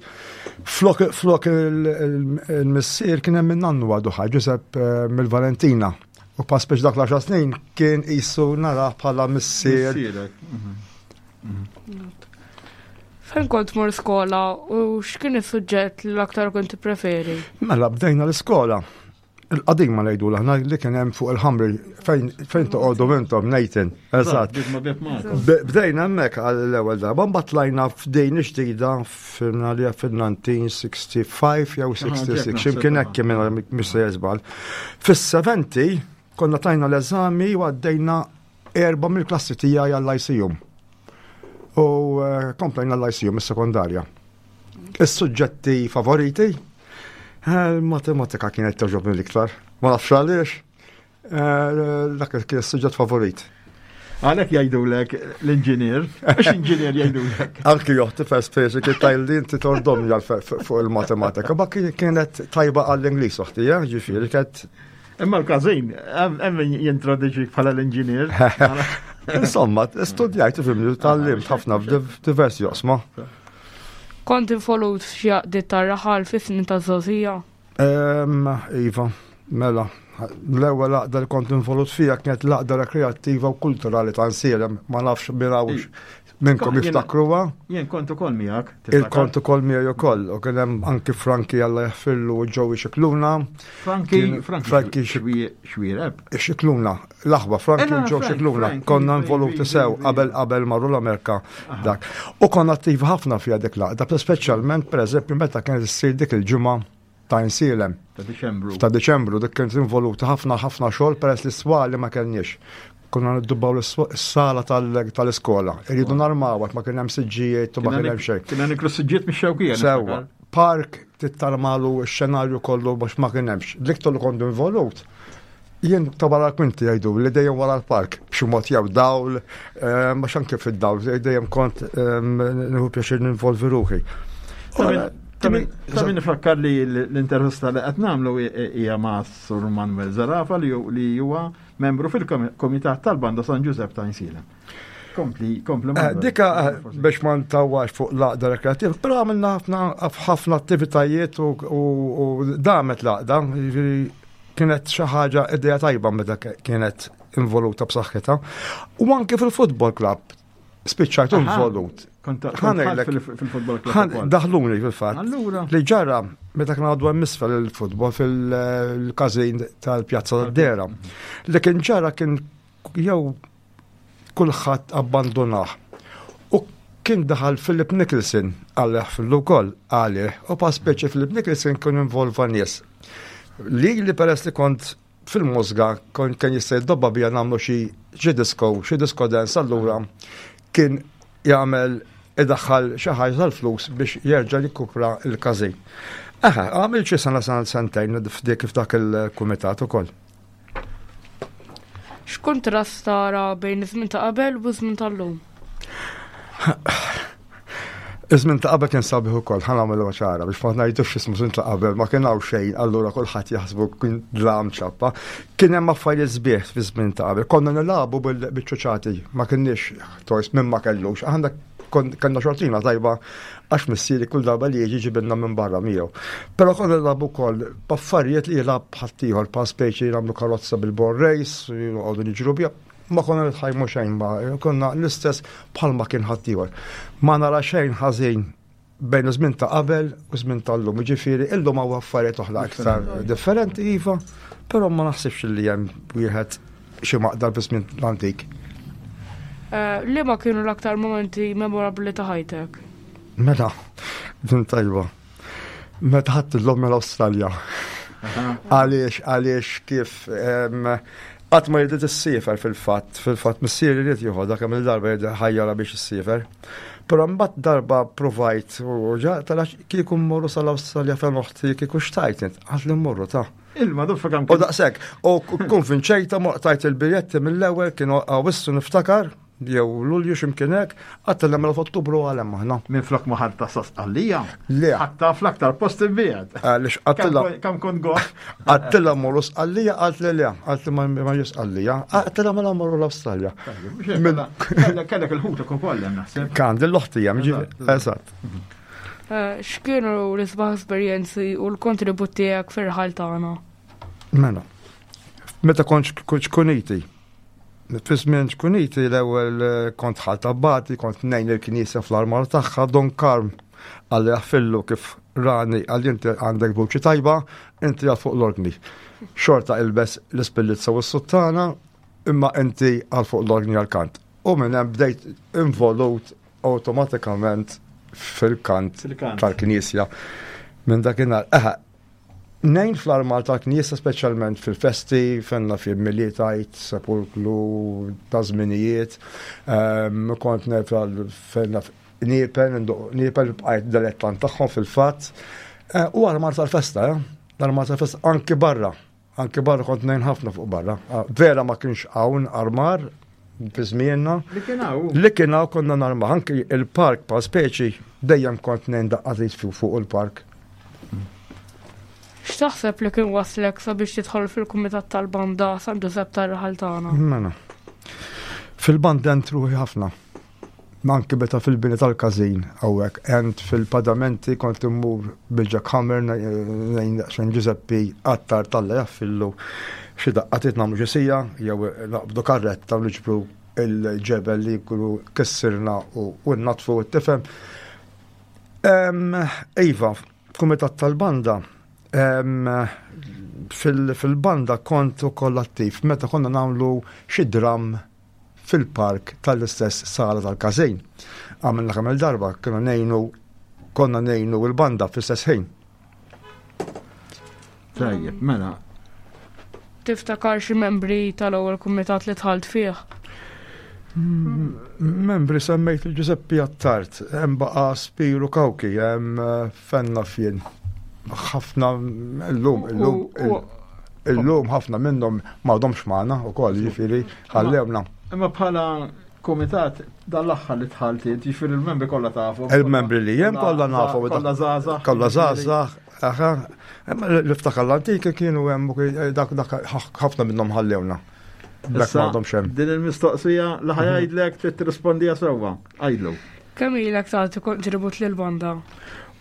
flok, flok il-missier kien hemm min-nannu għadu ħaj Ġusepp eh, mill-Valentina. U pass biex dak l-10 snin kien qisu narah bħala missier. Mhm. Fejn kont mur skola u x'kien is-suġġett li l-aktar kont tippreferi? Mela bdejna l-iskola. Il-qadima ngħidu aħna li kien hemm fuq il-ħamri fejn fejn toqgħodu intom Nathan. Eżatt. Bdejna hemmhekk għall-ewwel darba, mbagħad tlajna f'dejn ġdida fil-għalija fil-1965 jew 66, x'imkien hekk kien mhux se jeżbal. Fis-70 konna tajna l-eżami u għaddejna erba' mill-klassi tiegħi għall-ICU. U eh, komplejna l-ICU mis-sekondarja. Is-suġġetti favoriti? Eh, il-matematika kienet toġobni l-iktar. Ma nafx għaliex. Eh, dak kien is-suġġett favorit. Għalek jgħidulek l-inġinier, għax inġinier jgħidulek. Anki joħti first page kien tajli inti tordom fuq il-matematika, ma kienet tajba għall-Ingliż oħti, eh, ġifieri kienet Imma l-każin, hemm jintroduċik bħala l-inġinier. Insomma, studjajt fimni, tal-limt ħafna f'diversi joqsma. Kont involut f'xi għaqdiet tar-raħal fis-snin taż-żgħożija? Iva, mela. L-ewwel għaqda li kont involut fiha kienet l-għaqda rekreattiva u kulturali ta' Nsielem, ma nafx min hawnx minnkom jiftakruha. Jien kont ukoll miegħek. Il-kont ukoll miegħi ukoll, u kien hemm anki Franki Alla jaħfirlu u Joey Xikluna. Franki, Franki Xwiereb. Xikluna, l-aħwa Franki u Joe Xikluna, konna involuti sew qabel qabel marru l-Amerika dak. U konna attivi ħafna fiha dik l-għaqda, speċjalment pereżempju meta kienet issir dik il-ġimgħa ta' Insielem. Ta' Diċembru. Ta' Diċembru, dik kienet involuta ħafna ħafna xogħol peress li swali ma kellniex. Konna niddubbaw l-sala tal-iskola. Irridu narmaw għax ma kien hemm siġġijiet u ma kien hemm xejn. Kien niklu siġġijiet mix-xewkija. Sewwa. Park tittarmalu x-xenarju kollu biex ma kien hemmx. L-iktar li kont involut Jien ta' wara l-kwinti jgħidu li dejjem wara l-park, b'xi mod jew dawl, eh, ma xanke fid-dawl, dejjem kont eh, nieħu pjaċir ninvolvi ruħi. Ta' min ifakkar li l-intervista li qed nagħmlu hija ma' Sur Manuel Zarafa li huwa membru fil-Komitat tal-Banda San Ġużepp ta' Insilem. Kompli, kompli. Eh, dika biex ma ntawax fuq l-għaqda rekreativa, però għamilna ħafna attivitajiet u damet l-għaqda, jiġifieri kienet xi ħaġa idea tajba meta kienet involuta b'saħħitha. U anke fil-football club spiċċajt involut. Fil-football club. Daħluni fil-fatt. Li ġara meta kien għadu hemm isfel il-football fil-każin tal-Pjazza tad-Dera. Li kien ġara kien jew kulħadd abbandunah. U kien daħal Philip Nicholson għalih fil ukoll għalih u pa speċi Philip Nicholson kien involva nies. Li li peress li kont fil-mużga kont kien jista' jiddobba bija nagħmlu xi xi disco, xi disco dance allura kien jagħmel idaħħal xi ħaġa tal-flus biex jerġa' jikkupra l-każin. Aha, għamil xi sena sena sentejn f'dik f'dak il-kumitat ukoll. X'kuntrast tara bejn iż-żmien ta' qabel u ż-żmien tal-lum? Iż-żmien ta' qabel kien sabiħ ukoll, ħa nagħmlu ċara biex ma ngħidux ismu żmien ta' qabel ma kien hawn xejn, allura kulħadd jaħsbu kien dlam ċappa. Kien hemm affarijiet sbieħ fi żmien ta' qabel. Konna nilagħbu bil-ċuċati, ma kienniex toys minn ma kellux. Aħna kellna xortina tajba għax missieri kull darba li jiġi ġibilna minn barra miegħu. Però konna nilagħbu wkoll b'affarijiet li jilgħab ħaddieħor pa' speċi nagħmlu karozza bil-ball race, noqogħdu niġru biha. Ma konna nitħajmu xejn ma konna l-istess bħalma kien ħaddieħor. Ma nara xejn ħażin bejn iż-żmien ta' qabel u żmien tal-lum. Ġifieri illum hawn affarijiet oħra aktar differenti iva, però ma naħsibx li hemm wieħed xi maqdar fi żmien l-antik. Eh, liema kienu l-aktar momenti memorabbli ta' ħajtek? Mela, din tajba. Meta ħadd l-lom mill-Awstralja. Għaliex, għaliex kif qatt ma jridet issiefer fil-fatt, fil-fatt missieri jrid jieħodha kemm il-darba jrid ħajjara biex issiefer. Però mbagħad darba provajt u ġa tara kieku mmorru sal-Awstralja fejn oħti kieku xtajt int, għad li mmorru ta' Ilma duffa kemm. U daqshekk, u konvinċejta tajt il-biljetti mill-ewwel kienu għawissu niftakar, jew Lulju x'imkien hekk, għadt mela f'Ottubru għal hemm aħna. Minflok ma ħadta sa Sqallija. Le. Ħadta fl-aktar post imbiegħed. Għaliex għattilla. Kemm kont goħ. Għattilla morru Sqallija qalt li le, qalt li ma ġie Sqallija. Għattilla mela morru l-Awstralja. Kellek il-ħutek ukoll hemm naħseb. Kan l-oħtija, eżatt. Eh, x'kienu l-isbaħ esperjenzi u l-kontribut tiegħek fir-raħal tagħna? Mela, meta kont xkuniti, Fi żmien ċkuniti l-ewwel eh, kont ħalt abbati, kont nejn il-knisja fl-armar tagħha, Don Karm għalli jaffillu kif rani għalli inti għandek vuċi tajba, inti għal fuq l-ordni. Xorta ilbes l-ispillizza u s-suttana, imma inti għal fuq l-ordni għal-kant. U minn hemm bdejt involut awtomatikament fil-kant tal-knisja. Minn dakinhar, eħe, Ngħin fl-armar tal-knisja speċjalment fil-festi, fenna fi Milied Għid, Sepulklu, ta' żminijiet. Ehm, kont ngħin fenna niepel, niepel bqajt dilettant tagħhom fil-fatt. Eh, u armar tal-festa, eh? L-armar tal-festa anki barra. Anki barra kont ngħin ħafna fuq barra. Ah, vera ma kienx hawn armar fi żmienna. Li kien hawn. Li kien hawn konna narma anki il-park pa' speċi dejjem kont ngħin daqqatit fuq il-park. X'taħseb li kien waslek sabiex tidħol fil-kumitat tal-banda San Ġużepp tar-raħal tagħna? Mela. Fil-banda entruħi ħafna. Anki meta fil-bini tal-każin hawnhekk, għent fil-padamenti kont immur bil-jackhammer ngħin daqsxejn Ġużeppi Attard Alla jaffillu xi daqqa trid nagħmlu xi sija jew naqbdu karretta u niġbru il-ġebel li jkunu kissirna u nnatfu tifhem. Iva, kumitat tal-banda fil-banda kont ukoll attiv meta konna nagħmlu xi dram fil-park tal-istess sala tal-każin. Għamilna kemm il-darba, kienu ngħinu konna ngħinu l-banda fl-istess ħin. Tajjeb, mela. Tiftakar xi membri tal-ewwel kumitat li dħalt fih? Membri semmejt il-Ġużeppi Attard, hemm baqa' Spiru Kawki, hemm eh, Fenna Fien. Ħafna illum, illum. Illum ħafna minnhom m'għadhomx magħna wkoll, jiġifieri ħallewna. Imma bħala kumitat dan l-aħħar li dħalt int, jiġifieri l-membri kollha tafu. Il-membri li hemm kollha nafu. Kollha żgħażagħ. Kollha żgħażagħ, aha. Imma l-iftakar l-antiki kienu hemm dak dak ħafna minnhom ħallewna. Dak m'għadhomx hemm. Din il-mistoqsija li ħajajdlek trid tirrispondija sewwa. Għidlu. Kemm ilek tagħti kontribut lill-banda?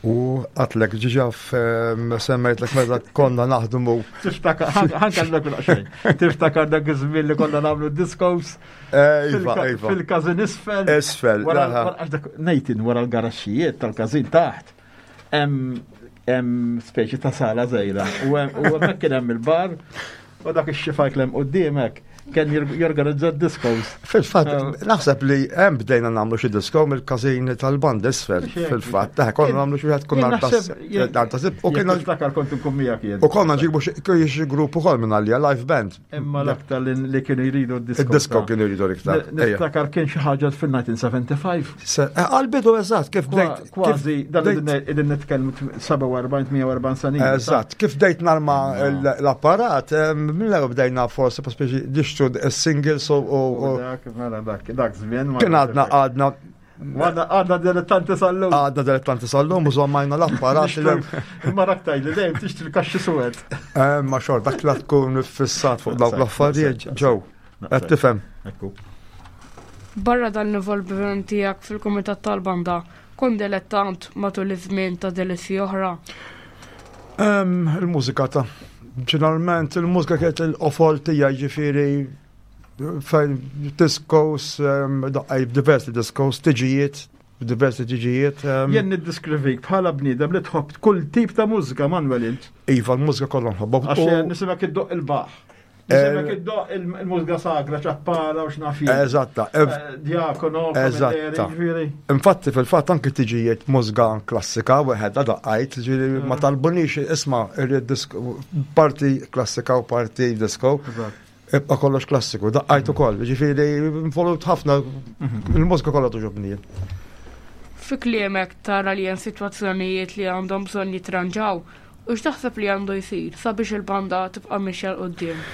U għatlek ġiġa semmejtlek meta konna naħdmu. Tiftakar, ħankallek xejn. Tiftakar dak iż-żmien li konna nagħmlu discos. Eh, iva, iva. Fil-każin isfel. Isfel. Nejtin wara l-garaxxijiet tal-każin taħt. Hemm speċi ta' sala żejra. U hemmhekk kien hemm il-bar u dak ix-xifajk l-hemm quddiemek kien jorganizza discos. Fil-fatt, eh. naħseb li hemm bdejna nagħmlu xi disco mill-każin tal-band isfel. Fil-fatt, eh, konna nagħmlu xi wieħed konna darba U kien niftakar kont inkun miegħek jien. U konna nġibu xi grupp ukoll minn għalija live band. Imma l-aktar li kienu jridu d-disco. Id-disco kienu jridu l-iktar. Niftakar kien xi ħaġa fil-1975. Eh, għal-bidu eżatt, kif bdejt. Kważi, dan idin nitkellmu 47-48 sena. Eżatt, kif bdejt narma l-apparat, eh, mill-ewwel bdejna forsi speċi nixtru singles u. Dak, mela dak, dak żmien. Kien għadna għadna Għadna għadna dilettanti sal-lum. Għadna dilettanti sal-lum, u zommajna l-apparat. Imma raktaj li dejjem tixtri l-kaxxi suwed. Eh, ma xor, dak la tkun fissat fuq dawk l-affarijiet ġew. Qed tifhem. Ekku. Barra dan l-involviment tiegħek fil-kumitat tal-banda, kont dilettant matul iż-żmien ta' delizzji oħra? Il-mużika ta' ġeneralment il-mużika kienet il-qofol tiegħi ġifieri fejn discos, daqqaj diversi discos, tiġijiet, diversi tiġijiet. Jien niddiskrivik bħala bniedem li tħobb kull tip ta' mużika, Manuel int. Iva, l-mużika kollha nħobbha. Għax nisimek iddoq il-baħ. Nisimek eh, iddoq il-mużika sagra, ċappara u x'naf Eżatta. Eh, diakono, Eżatta. Infatti fil-fatt anki tiġijiet mużika klassika wieħed daqqajt, ġifieri ma mm. talbunix isma' irrid parti klassika u parti disco. Ibqa' kollox klassiku, daqqajt ukoll, ġifieri involut ħafna, il-mużika kollha togħġobni. Fi kliemek tara li hemm sitwazzjonijiet li għandhom bżonn jitranġaw u x'taħseb li għandu jsir sabiex il-banda tibqa' mixja 'l quddiem?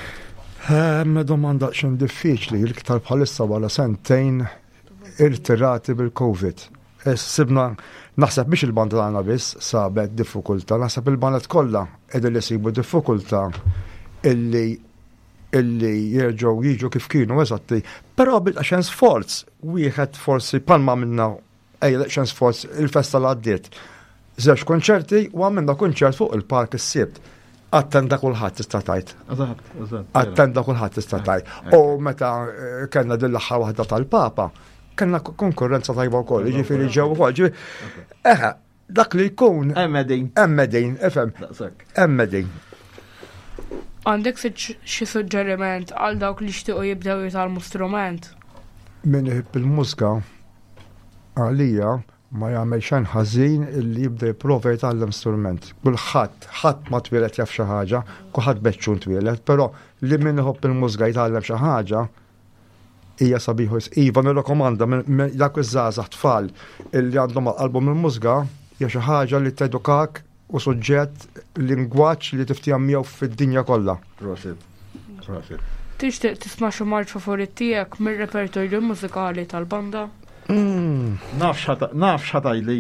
Ehm, domanda xejn diffiċli, l-iktar bħalissa wara sentejn irtirati bil-Covid. Sibna, naħseb biex il-banda tagħna biss sabet diffikultà, naħseb il-bandet kollha qegħdin li sibu diffikultà illi illi jerġgħu jiġu kif kienu eżatti. Però bil-xen sforz, wieħed forsi palma minna ejja xen sforz il-festa l għaddiet. Żewġ konċerti u għamilna kunċert fuq il-park is-sibt. Attenda kulħadd tista' tgħid. Eżatt, eżatt. Attenda kulħadd tista' tgħid. U meta eh, kellna din l-aħħar waħda tal-Papa, kellna konkurrenza tajba wkoll, jiġifieri ġew ukoll. Eħe, dak li jkun. Emmedin. Emmedin, ifhem. Emmedin. Għandek xi suġġeriment għal dawk li xtiequ jibdew jitgħallmu strument? Min iħobb il-mużika għalija Ma jagħmel xejn ħażin illi jibda jipprova jitgħallem strument. Kulħadd, ħadd ma twieled jaf xi ħaġa, kulħadd beċċun twieled, però li min iħobb il-mużika jitgħallem xi ħaġa hija sabiħ wisq. Iva nirrakkomanda dak iż-żgħażagħ tfal illi għandhom għal qalbhom il-mużika hija xi ħaġa li tedukak u suġġett lingwaġġ li tiftiehem miegħu fid-dinja kollha. Prosit. Prosit. Tixtieq tisma' xi marċ favorit tiegħek mir-repertorju mużikali tal-banda? Mm. Naf x'ħatajli.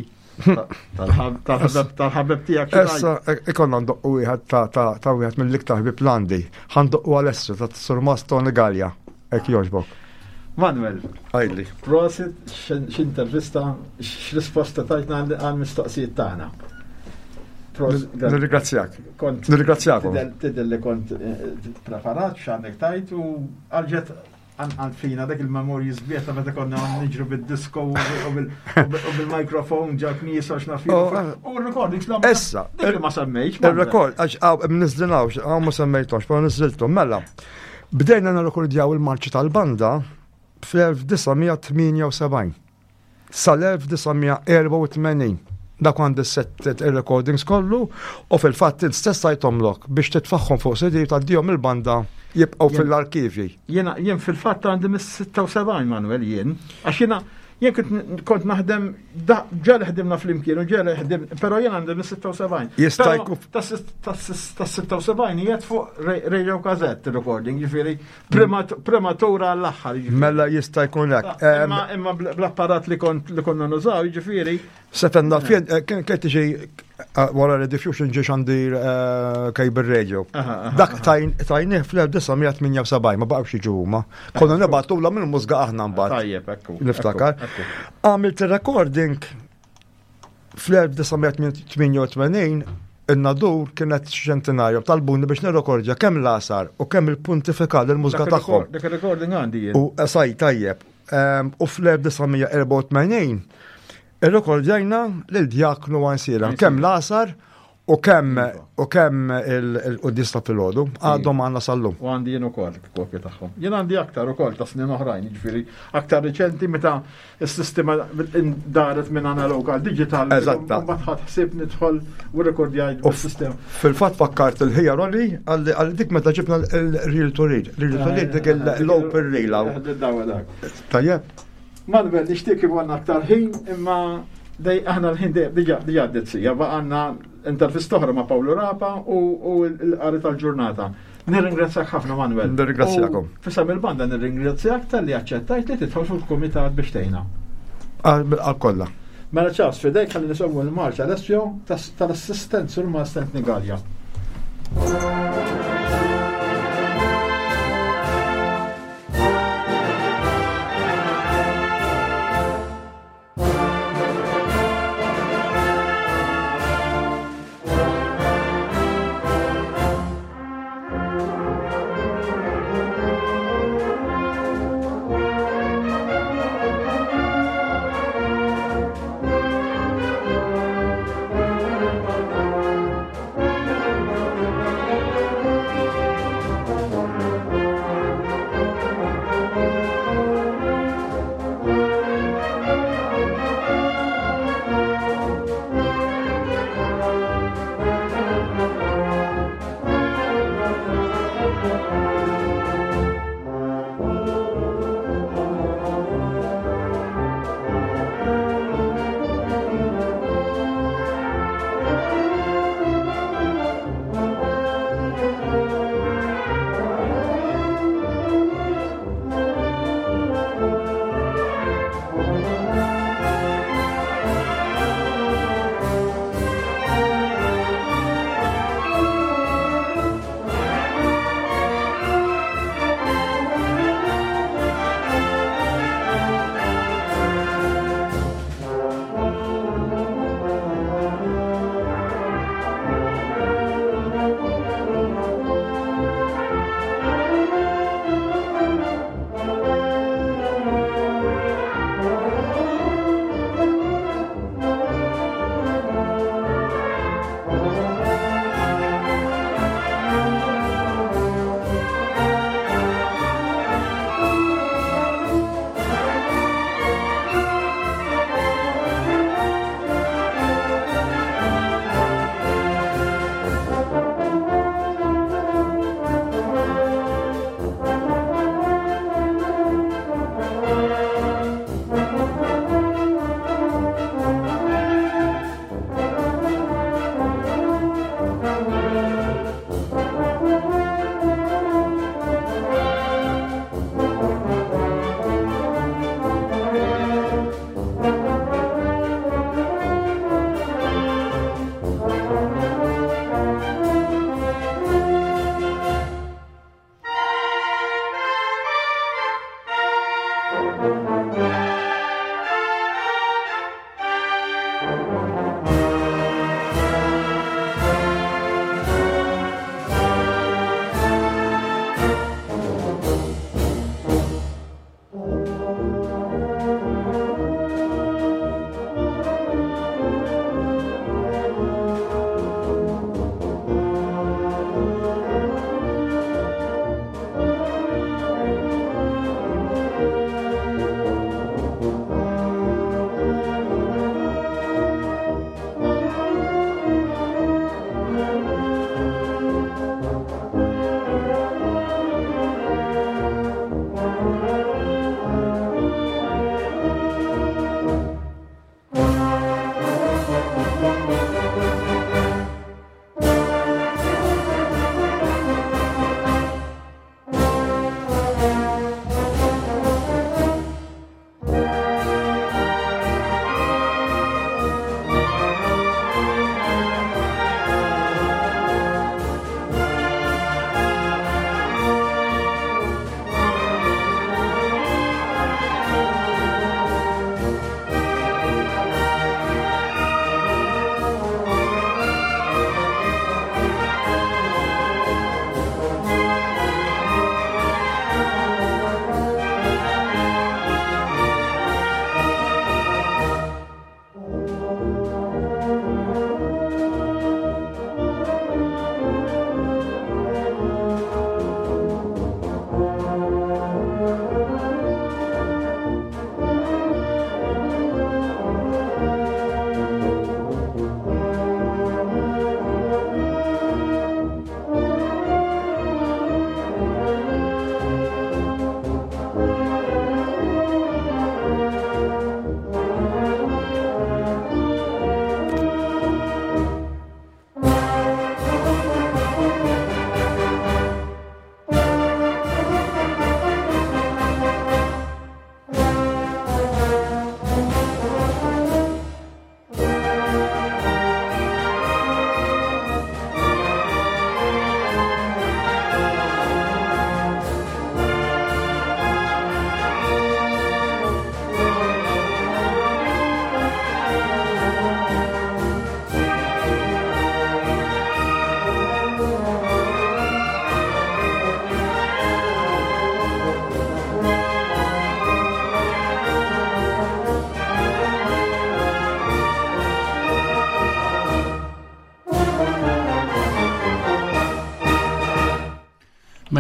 Tal-ħabib tiegħek. Issa ikonna ndoqqu wieħed ta' wieħed mill-iktar ħbib l-għandi. Ħandoqqu Alessio ta' Surmas Tony Gallia. Hekk jogħġbok. Manuel. Għajli. Prosit, x'intervista, x'risposta tajtna għal-mistoqsijiet tagħna. Nirringrazzjak. Kont. Nirringrazzjakom. Tidher li kont eh, preparat x'għandek tajt u għalġet għand fina dak il-memorji sbieħ ta' meta konna niġru bid-disco u bil-mikrofon ġa knisa x'naf oh, eh. U r-recordings l Issa. Dik ma semmejtx. Il-record, għax għaw, nizzinawx, għaw ma semmejtomx, pero nizziltom. Mela, Bdejna nirrekordjaw il-marċi tal-banda fl-1978 sal-1984. Dak għandi set il-recordings kollu u fil-fatt int stess tajtomlok biex titfaħħom fuq CD u tgħaddihom il-banda jibqgħu fil-arkivji. Jiena jien fil-fatt għandi mis-76 Manuel jien, għax jiena Jien kont naħdem, ġa li ħdimna flimkien u ġa li ħdim, però jien għandi mis-76. Jista' jkun. Tas-76 jiet fuq Radio Gazette recording, ġifieri prematura għall-aħħar. Mela jista' jkun hekk. Imma bl-apparat li kont li konna nużaw, ġifieri. Sefenna, fien, eh, kien kien tiġi eh, wara li diffusion ġie xandir eh, cable radio. Dak tajnih fl-1978 ma baqgħux jiġu huma. Konna nibgħatu la minn mużga aħna mbagħad. Tajjeb, ekku. Niftakar. Għamilt recording. Fl-1988 in-Nadur kienet ċentinarju talbuni biex nirrekordja kemm l-għasar u kemm il-pontifikal il-mużika tagħhom. Dak il-recording għandi jien. U eh, saj tajjeb. Ehm, u fl-1984 irrekordjajna lil djaknu għansiela kemm l-għasar U kemm u kemm il-quddies ta' filgħodu għadhom għandna sal-lum. U għandi jien ukoll kopja tagħhom. Jien għandi aktar ukoll ta' snin oħrajn, jiġifieri aktar riċenti meta s-sistema daret minn analog għal digital. Eżatta. Mbagħad ħadd ħsieb nidħol u rekordjajt bis-sistema. Fil-fatt fakkart il-ħija Rolli għal dik meta ġibna l-reel to reel. Reel to reel dik l-open reel. Tajjeb. Manuel, nixtieq ikollna aktar ħin, imma dej aħna l-ħin diġà diġà għaddiet sija, baqgħalna intervista oħra ma' Pawlu Rapa u l-qari tal-ġurnata. Nirringrazzjak ħafna Manuel. Nirringrazzjakom. Fisam il-banda nirringrazzjak tal-li aċċettajt li tidħol fil-kumitat biex tgħinna. Għal kollha. Mela ċas fidejk ħalli nisimgħu l-marċ Alessio tal-assistent sur Master Nigalja.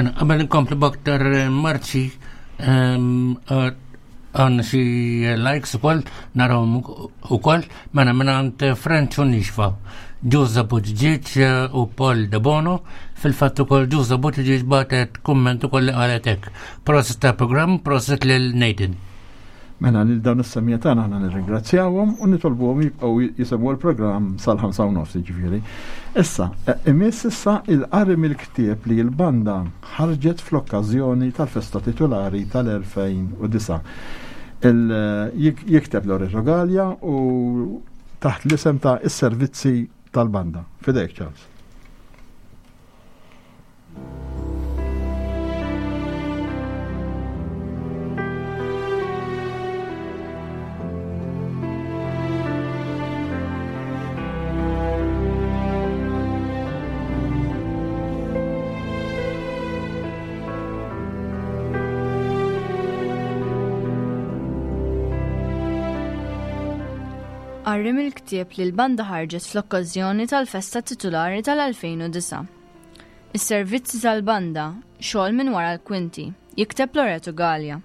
Mela, qabel inkomplu b'aktar eh, marċi, ehm, eh, għandna xi likes ukoll, narawhom ukoll, mela mingħand French u Nixfa, Ġuża Buttigieg eh, u Paul De Bono, fil-fatt ukoll Ġuża Buttigieg bagħtet kumment ukoll li qalet hekk. Proset ta' programm, proset lil Nathan. Mela lil dawn is-semmiegħa tagħna aħna nirringrazzjawhom u nitolbuhom jibqgħu jisimgħu l-programm sal-5 u nofs jiġifieri. Issa, e, imiss issa il-qari mill-ktieb li l-banda ħarġet fl-okkażjoni tal-festa titulari tal-2009. Jikteb Loreto Gallia u taħt l-isem ta' is-servizzi tal-banda. Fidejk, Charles. Qari mill-ktieb li l-banda ħarġet fl-okkażjoni tal-festa titulari tal-2009. Is-servizzi tal-banda, xogħol minn wara l-kwinti, jikteb Loreto Galea.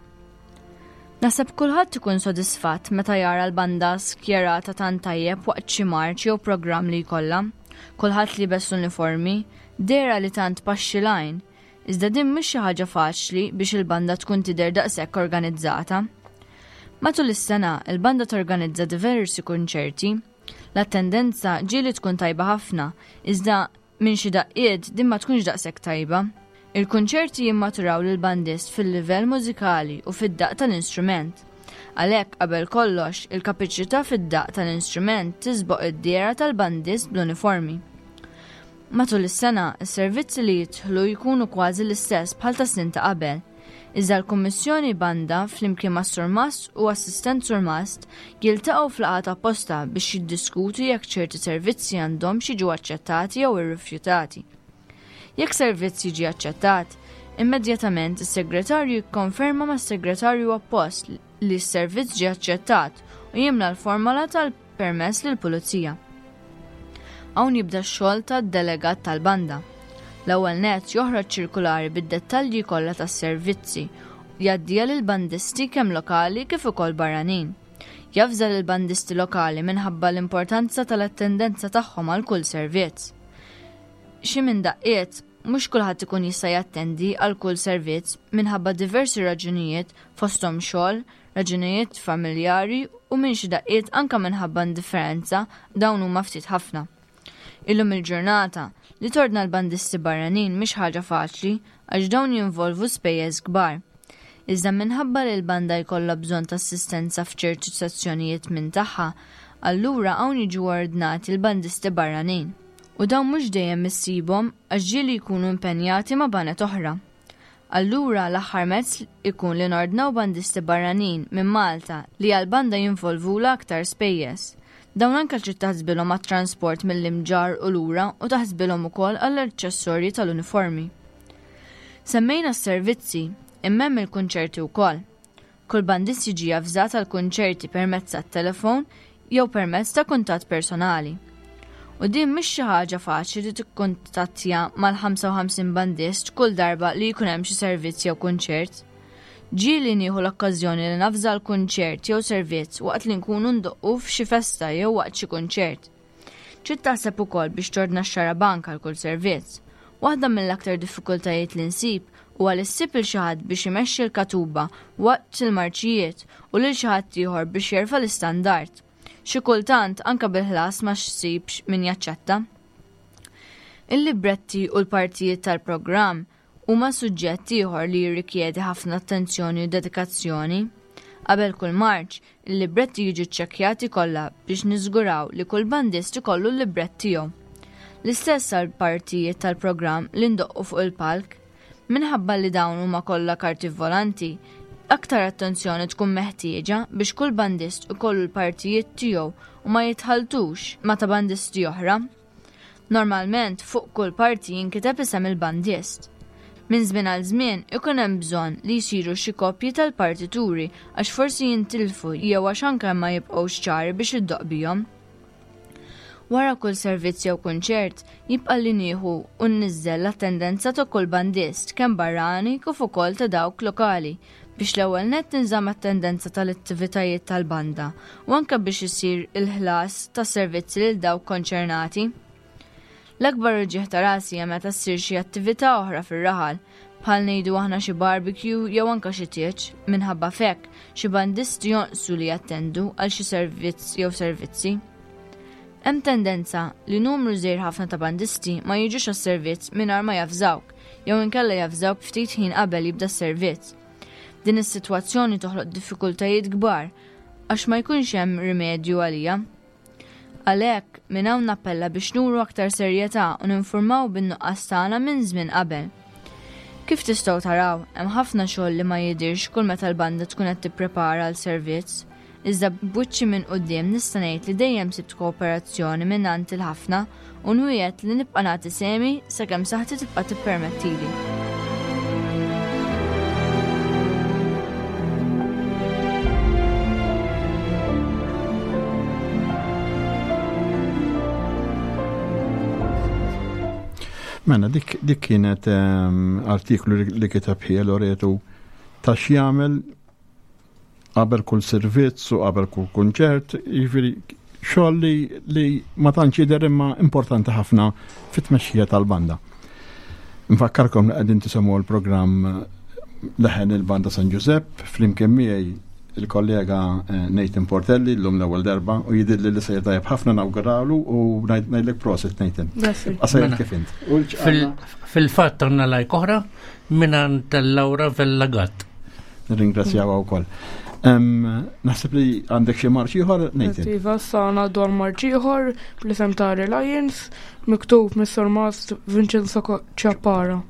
Naħseb kulħadd ikun sodisfatt meta jara l-banda skjerata tant tajjeb waqt xi marċ jew programm li jkollha. Kulħadd liebes l-uniformi, dehra li tant tpaxxi l-għajn. Iżda din mhix xi ħaġa faċli biex il-banda tkun tidher daqshekk organizzata. Matul is-sena, il-banda torganizza diversi kunċerti. L-attendenza ġieli tkun tajba ħafna, iżda Minn xi daqqiet din ma tkunx daqshekk tajba. Il-kunċerti jimmaturaw lill-bandist fil-livell mużikali u fid-daqq tal-instrument. Għalhekk, qabel kollox, il-kapiċità fid-daqq tal-instrument tisboq id-dehra tal-bandist bl-uniformi. Matul is-sena, is-servizzi li jidħlu jkunu kważi l-istess bħal tas-snin ta' qabel. Iżda l-Kummissjoni Banda, flimkien mas-Surmast u Assistent Surmast, jiltaqgħu f'laqgħat apposta biex jiddiskutu jekk ċerti servizzi għandhomx jiġu aċċettati jew irrifjutati. Jekk servizz jiġi aċċettat, immedjatament is-segretarju jikkonferma mas-segretarju appost li s-servizz ġie aċċettat u jimla l-formola tal permess lill-pulizija. Hawn jibda x-xogħol tad-delegat tal-banda. L-ewwel nett joħroġ ċirkulari bid-dettalji kollha tas-servizzi u jgħaddiha lill-bandisti kemm lokali kif ukoll barranin. Javża lill-bandisti lokali minħabba l-importanza tal-attendenza tagħhom għal kull servizz. Xi minn daqqiet, mhux kulħadd ikun jista' jattendi għal kull servizz minħabba diversi raġunijiet fosthom xogħol, raġunijiet familjari u minn xi daqqiet anke minħabba indifferenza, dawn huma ftit ħafna. Illum il-ġurnata, li tordna l-bandisti barranin mhix ħaġa faċli għax dawn jinvolvu spejjeż kbar. Iżda minħabba li l-banda jkollha bżonn ta' assistenza f'ċertu sezzjonijiet minn tagħha, allura hawn jiġu ordnati l-bandisti barranin. U dawn mhux dejjem issibhom għax ġieli jkunu impenjati ma' baned oħra. Allura l-aħħar mezz ikun li nordnaw bandisti barranin minn Malta li għall-banda jinvolvulha aktar spejjeż. Dawn anke trid taħsbilhom għat-transport mill-Imġarr u lura u taħsbilhom ukoll għall-aċċessorji tal-uniformi. Semmejna s-servizzi, imma hemm il-kunċerti wkoll. Kull bandist jiġi avżat għall-kunċerti permezz tat-telefon jew permezz ta' kuntatt personali. U din mhix xi ħaġa faċli li tikkuntattja mal-55 bandist kull darba li jkun hemm xi servizz jew kunċert. Ġieli nieħu l-okkażjoni li navża l-kunċert jew servizz waqt li nkunu ndoqqu f'xi festa jew waqt xi kunċert. Trid taħseb ukoll biex tordna x-xarabank għal kull servizz. Waħda mill-aktar diffikultajiet li nsib huwa li ssib lil xi ħadd biex imexxi l-katuba waqt il-marċijiet u lil xi ħadd ieħor biex jerfa' l-istandard. Xi kultant anke bil-ħlas ma ssibx min jaċċetta. Il-libretti u l-partijiet tal-programm huma suġġett ieħor li jirrikjedi ħafna attenzjoni u dedikazzjoni. Qabel kull marċ, il-libretti jiġu ċċekkjati kollha biex niżguraw li kull bandist ikollu l-librett tiegħu. L-istess għal partijiet tal-programm li ndoqqu fuq il-palk. Minħabba li dawn huma kollha karti volanti, aktar attenzjoni tkun meħtieġa biex kull bandist ikollu l-partijiet tiegħu u ma jitħalltux ma' ta' bandisti oħra. Normalment fuq kull parti jinkiteb isem il-bandist. Minn żmien għal żmien ikun hemm bżonn li jsiru xi kopji tal-partituri għax forsi jintilfu jew għax anke ma jibqgħux ċari biex iddoqq bihom. Wara kull servizz jew kunċert, jibqa' li nieħu u nniżżel l-attendenza ta' kull bandist, kemm barrani kif ukoll ta' dawk lokali, biex l-ewwel nett tinżamm attendenza tal-attivitajiet tal-banda u anke biex isir il-ħlas tas-servizzi lil dawk konċernati. L-akbar uġigħ ta' rasi hija meta ssir xi attività oħra fir-raħal, bħal ngħidu aħna xi barbecue jew anke xi tieġ, minħabba f'hekk xi bandisti jonqsu li jattendu għal xi servizz jew servizzi. Hemm tendenza li numru żgħir ħafna ta' bandisti ma jiġux għas-servizz mingħajr ma javżawk jew inkella javżawk ftit ħin qabel jibda s-servizz. Din is-sitwazzjoni toħloq diffikultajiet kbar għax ma jkunx hemm rimedju għaliha. Għalhekk, minn hawn nappella biex nuru aktar serjetà u ninfurmaw bin-nuqqas tagħna minn żmien qabel. Kif tistgħu taraw, hemm ħafna xogħol li ma jidhirx kull meta l-banda tkun qed tipprepara għal servizz. Iżda b'wiċċi minn quddiem nista' ngħid li dejjem sibt kooperazzjoni mingħand il-ħafna u nwiegħed li nibqa' nagħti sehmi sakemm saħħti tibqa' tippermettili. Mela, dik, dik kienet um, artiklu li kiteb ħija Loretu ta' x'jagħmel qabel kull servizz u qabel kull kunċert, jiġifieri xogħol li, li ma tantx jidher imma importanti ħafna fit-tmexxija tal-banda. Nfakkarkom li qegħdin tisimgħu l-programm Leħen il-Banda San Giuseppe flimkien miegħi il-kollega eh, Nathan Portelli l-lum l-ewwel darba u jidilli li sejjer tajjeb ħafna nawguralu u ngħidlek prosit Nathan. Għasajr mela. kif int. Fil-fatt għandna lajk oħra mingħand Laura Vella Gatt. Nirringrazzjawha wkoll. Naħseb li għandek xi marċ ieħor, Nathan. Iva, sa ngħaddu għal marċ ieħor bl-isem ta' Reliance, miktub mis-Surmast Vincenzo Ciappara.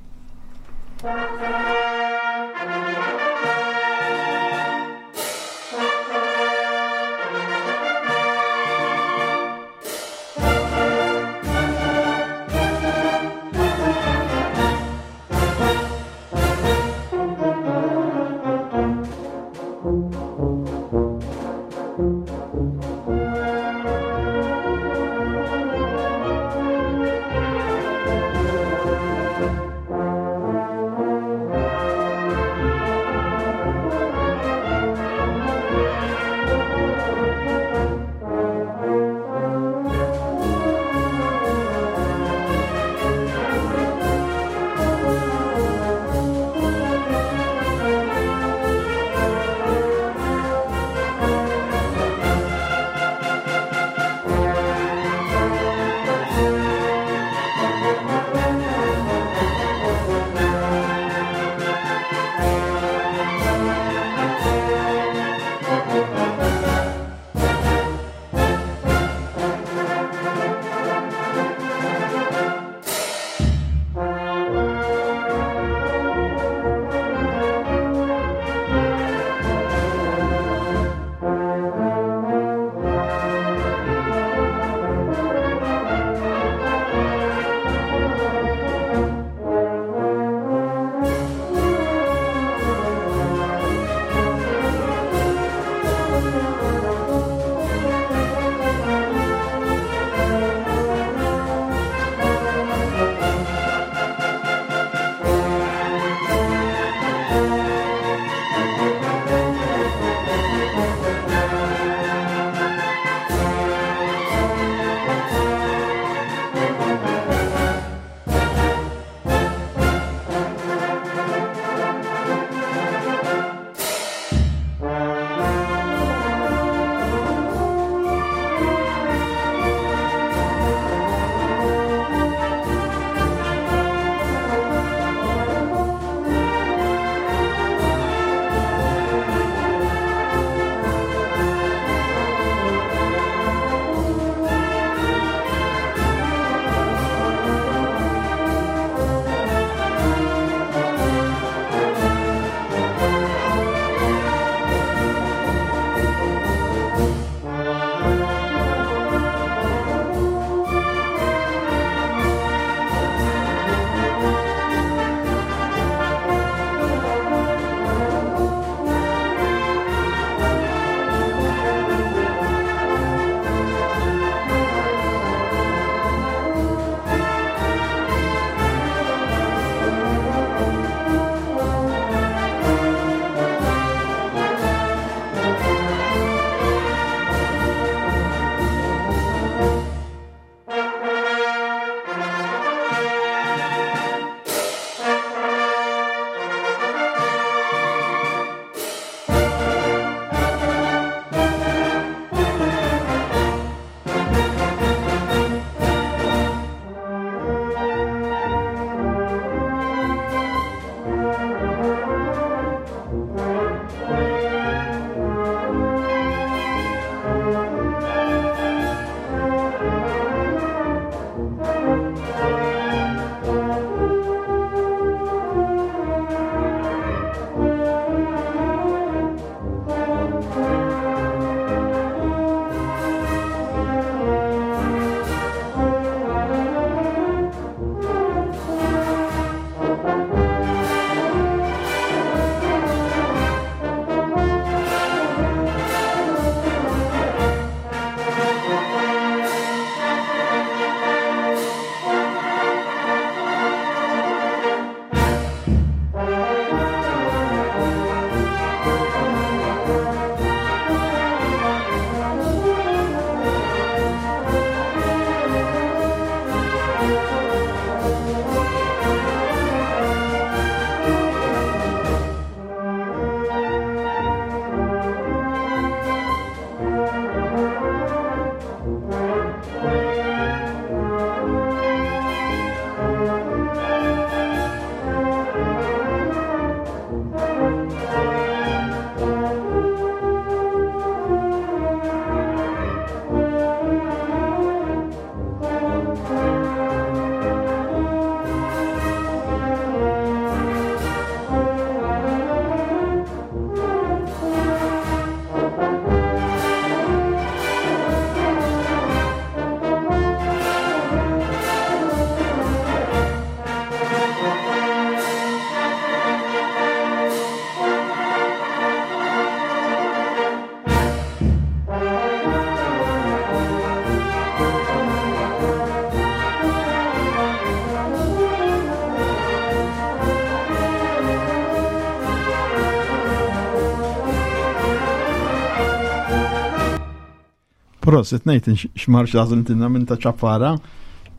Prosit Nathan x'marx għażiltilna minn ta' ċappara.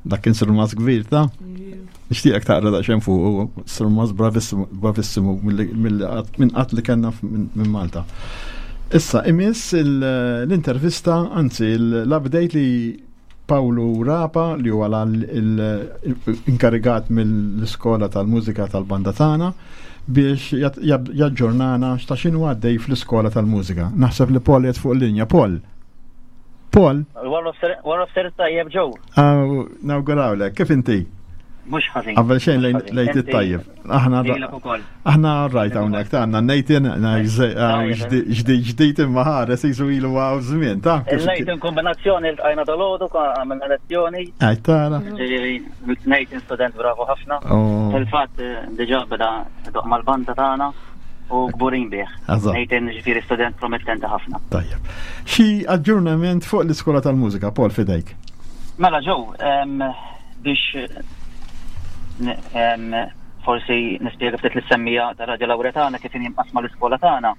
Dak kien surmas kbir ta' Nixtieqek taqra daqsxejn fuq surmas bravissimu minn qatt li kellna minn Malta. Issa, imiss l-intervista, anzi l-update li Pawlu Rapa li huwa l-inkarigat mill-iskola tal-mużika tal-banda tagħna biex jaġġornana x'ta' x'inhu għaddej fl-iskola tal-mużika. Naħseb li Paul qed fuq linja. Paul. Paul. Wara fser tajjeb ġew. Nawgurawlek, kif inti? Mhux ħażin. Qabel xejn lejt it-tajjeb. Aħna aħna rajt hawnhekk ta' għandna Nathan ġdid ġdid imma ħares jisu ilu għaw żmien ta' Nathan kombinazzjoni li tqajna dal-għodu għamilna lezzjoni. Għaj tara. Nathan student bravo ħafna. Oh. Fil-fatt diġà beda doq mal-banda tagħna u kburin bih. Nathan ġifieri student promettenti ħafna. Tajjeb. Xi aġġornament fuq l-iskola tal-mużika, Paul fidejk? Mela ġew, biex forsi nispjega ftit lis-semmija ta' Radio Lawretana kif inhi mqassma l-iskola tagħna.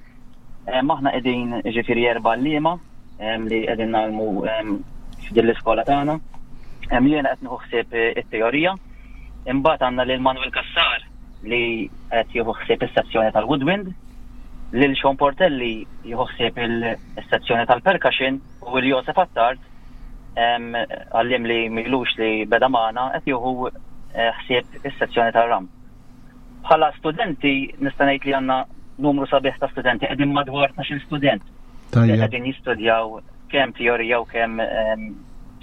Aħna qegħdin ġifieri erba' għalliema li qegħdin nagħlmu f'din l-iskola tagħna. Jiena qed nieħu ħsieb it-teorija. Imbagħad għandna lil Manuel Cassar li qed jieħu ħsieb is-sezzjoni tal-woodwind, lil Sean Portelli jieħu ħsieb is-sezzjoni tal-percussion u lil Josef Attard għalliem li m'ilux li beda magħna qed jieħu eh, ħsieb is-sezzjoni tar-ram. Bħala studenti nista' ngħid li għandna numru sabiħ ta' studenti qegħdin madwar 12 student li qegħdin jistudjaw kemm teorija u kemm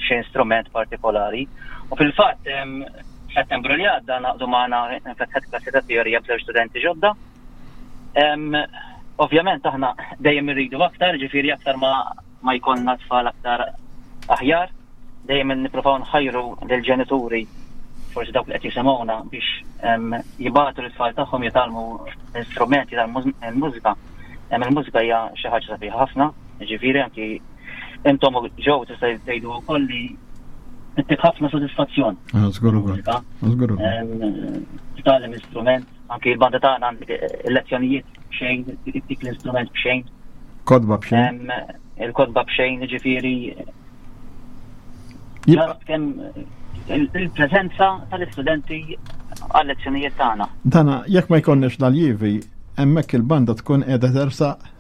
xi instrument partikolari. U fil-fatt f'Settembru li għadda naqdu magħna nfetħet klassi ta' teorija b'żewġ studenti ġodda. Ovvjament aħna dejjem irridu aktar, ġifieri aktar ma ma jkollna tfal aktar aħjar. Dejjem nippruvaw nħajru lill-ġenituri, forsi dawk li qed jisimgħuna biex jibagħtu lit-tfal tagħhom jitgħallmu l-istrument, jitgħallmu l-mużika. Il-mużika hija xi ħaġa sabiħa ħafna, ġifieri anki intom ġew tista' tgħidu wkoll li ttik ħafna sodisfazzjon. Ah, żgur ukoll. Żgur Titgħallem instrument, anki l-banda tagħna għandek il-lezzjonijiet b'xejn, ttik l-instrument b'xejn. Kodba b'xejn. Il-kodba b'xejn, ġifieri. Kemm il-preżenza tal-istudenti għal-lezzjonijiet tagħna. Dana, jekk ma jkollniex l-aljivi, hemmhekk il-banda tkun qiegħda tersaq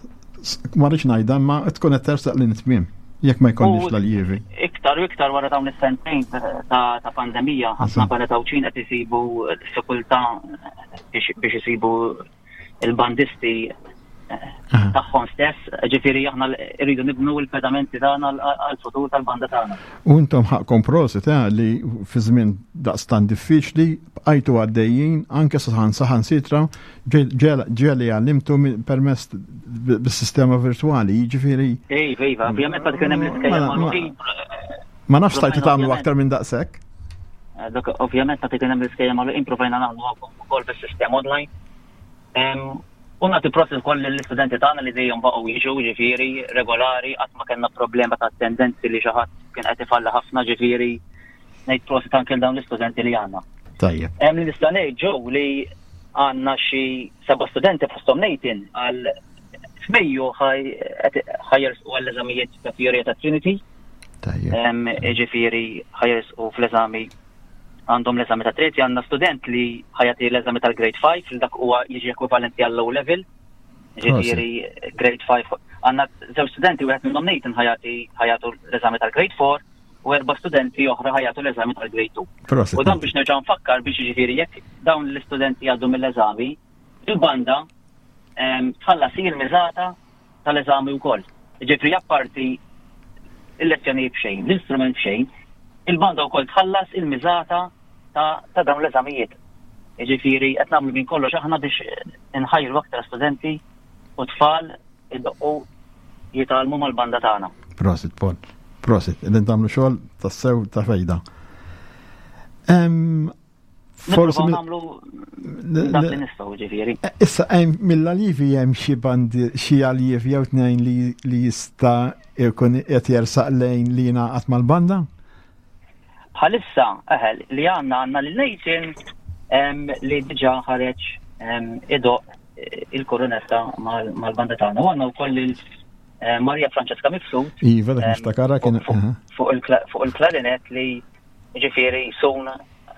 ma rridx ngħidha imma tkun qed tersaq lejn it-tmiem jekk ma jkollniex l-aljivi. Iktar u iktar wara dawn is-sentejn ta' pandemija, ħafna baned Għawdxin qed isibu diffikultà biex isibu il-bandisti eh, tagħhom stess, ġifieri aħna rridu nibnu l-pedamenti tagħna għall-futur tal-banda tagħna. U intom ħaqkom prosit eh, li fi żmien daqstan diffiċli bqajtu għaddejjin anke saħan saħan sitra ġeli għallimtu permess bis-sistema virtuali, jiġifieri. Ej, iva, ovvjament ma kien hemm l-iskejjel magħluqin. Ma nafx stajtu tagħmlu aktar minn daqshekk. Eh, dak ovvjament meta kien hemm l-iskejjel magħluqin provajna nagħmlu wkoll bis-sistema online. U nagħti prosit ukoll lill-istudenti tagħna li dejjem baqgħu jiġu ġifieri regolari qatt ma kellna problema ta' attendenzi li xi ħadd kien qed ifalli ħafna ġifieri ngħid prosit anke dawn l-istudenti li għandna. Tajjeb. Hemm li nista' ngħid ġew li għandna xi seba' studenti fosthom Nathan għal f'Mejju ħajersqu għall-eżamijiet ta' teorija ta' Trinity. Ġifieri ħajersqu fl-eżami għandhom l-eżami ta' Trinity għandna student li ħajati l-eżami tal-Grade 5 li dak huwa jiġi ekwivalenti għall-O level. Ġifieri Grade 5 għandna żewġ studenti wieħed minnhom Nathan ħajati ħajatu l-eżami tal-Grade 4 u erba' studenti oħra ħajatu l-eżami tal-Grade 2. U dan biex nerġa' nfakkar biex jiġifieri jekk dawn l-istudenti jgħaddu mill-eżami, il-banda tħallas il-miżata tal-eżami wkoll. Ġifieri apparti il-lezzjonijiet b'xejn, l-istrument b'xejn, il-banda wkoll tħallas il-miżata ta' dawn l-eżamijiet. Ġifieri qed nagħmlu minn kollox aħna biex inħajru aktar studenti u tfal idoqqu jitgħallmu mal-banda tagħna. Prosit, Paul. Prosit, qegħdin tagħmlu xogħol tassew ta' fejda. Forsi nagħmlu dak li nistgħu ġifieri. Eh, issa hemm mill-aljivi hemm xi bandi xi aljiv jew tnejn li jista' jkun qed jersaq lejn li jingħaqad mal-banda? Bħalissa eħel li għandna għandna lil Nathan li diġà ħareġ idoq il-koronetta mal-banda tagħna. U għandna wkoll lil. eh, Maria Francesca Mifsud. Iva, dak niftakarha kien. Fuq il-klarinet li ġifieri sun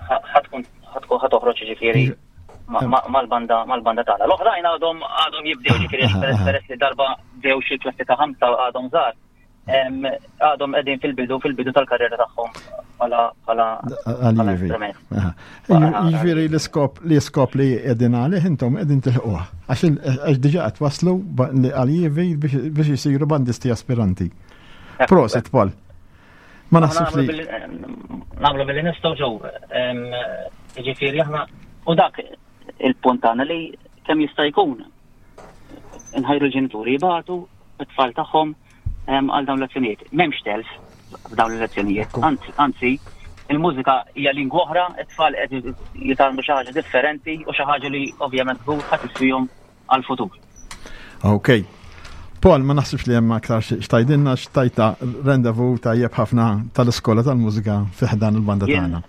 ħatkun ħatoħroġ ġifieri mal-banda mal-banda tagħna. L-oħrajn għadhom għadhom jibdew ġifieri peress li darba bdew xi klassi ta' ħamsa għadhom żgħar. Għadhom qegħdin fil-bidu fil-bidu tal-karriera tagħhom bħala bħala instrument. Jiġifieri l-iskop l-iskop li qegħdin għalih intom qegħdin tilħquh. Għax diġà qed waslu għal biex isiru bandisti aspiranti. Prosit Paul. Ma naħsibx li. Nagħmlu billi nistgħu ġew. Jiġifieri aħna u dak il-punt tagħna li kemm jista' jkun nħajru l-ġenituri jibatu it-tfal tagħhom għal dawn l-lezzjonijiet. M'hemmx telf f'dawn l-lezzjonijiet. Anzi, il-mużika hija lingwa oħra, it-tfal qed jitgħallmu xi ħaġa differenti u xi ħaġa li ovvjament żgur ħadd iswihom għall-futur. Ok. Paul, ma naħsibx li hemm aktar xtajdinna xtajta rendevu tajjeb ħafna tal-iskola tal-mużika fi ħdan il-banda tagħna.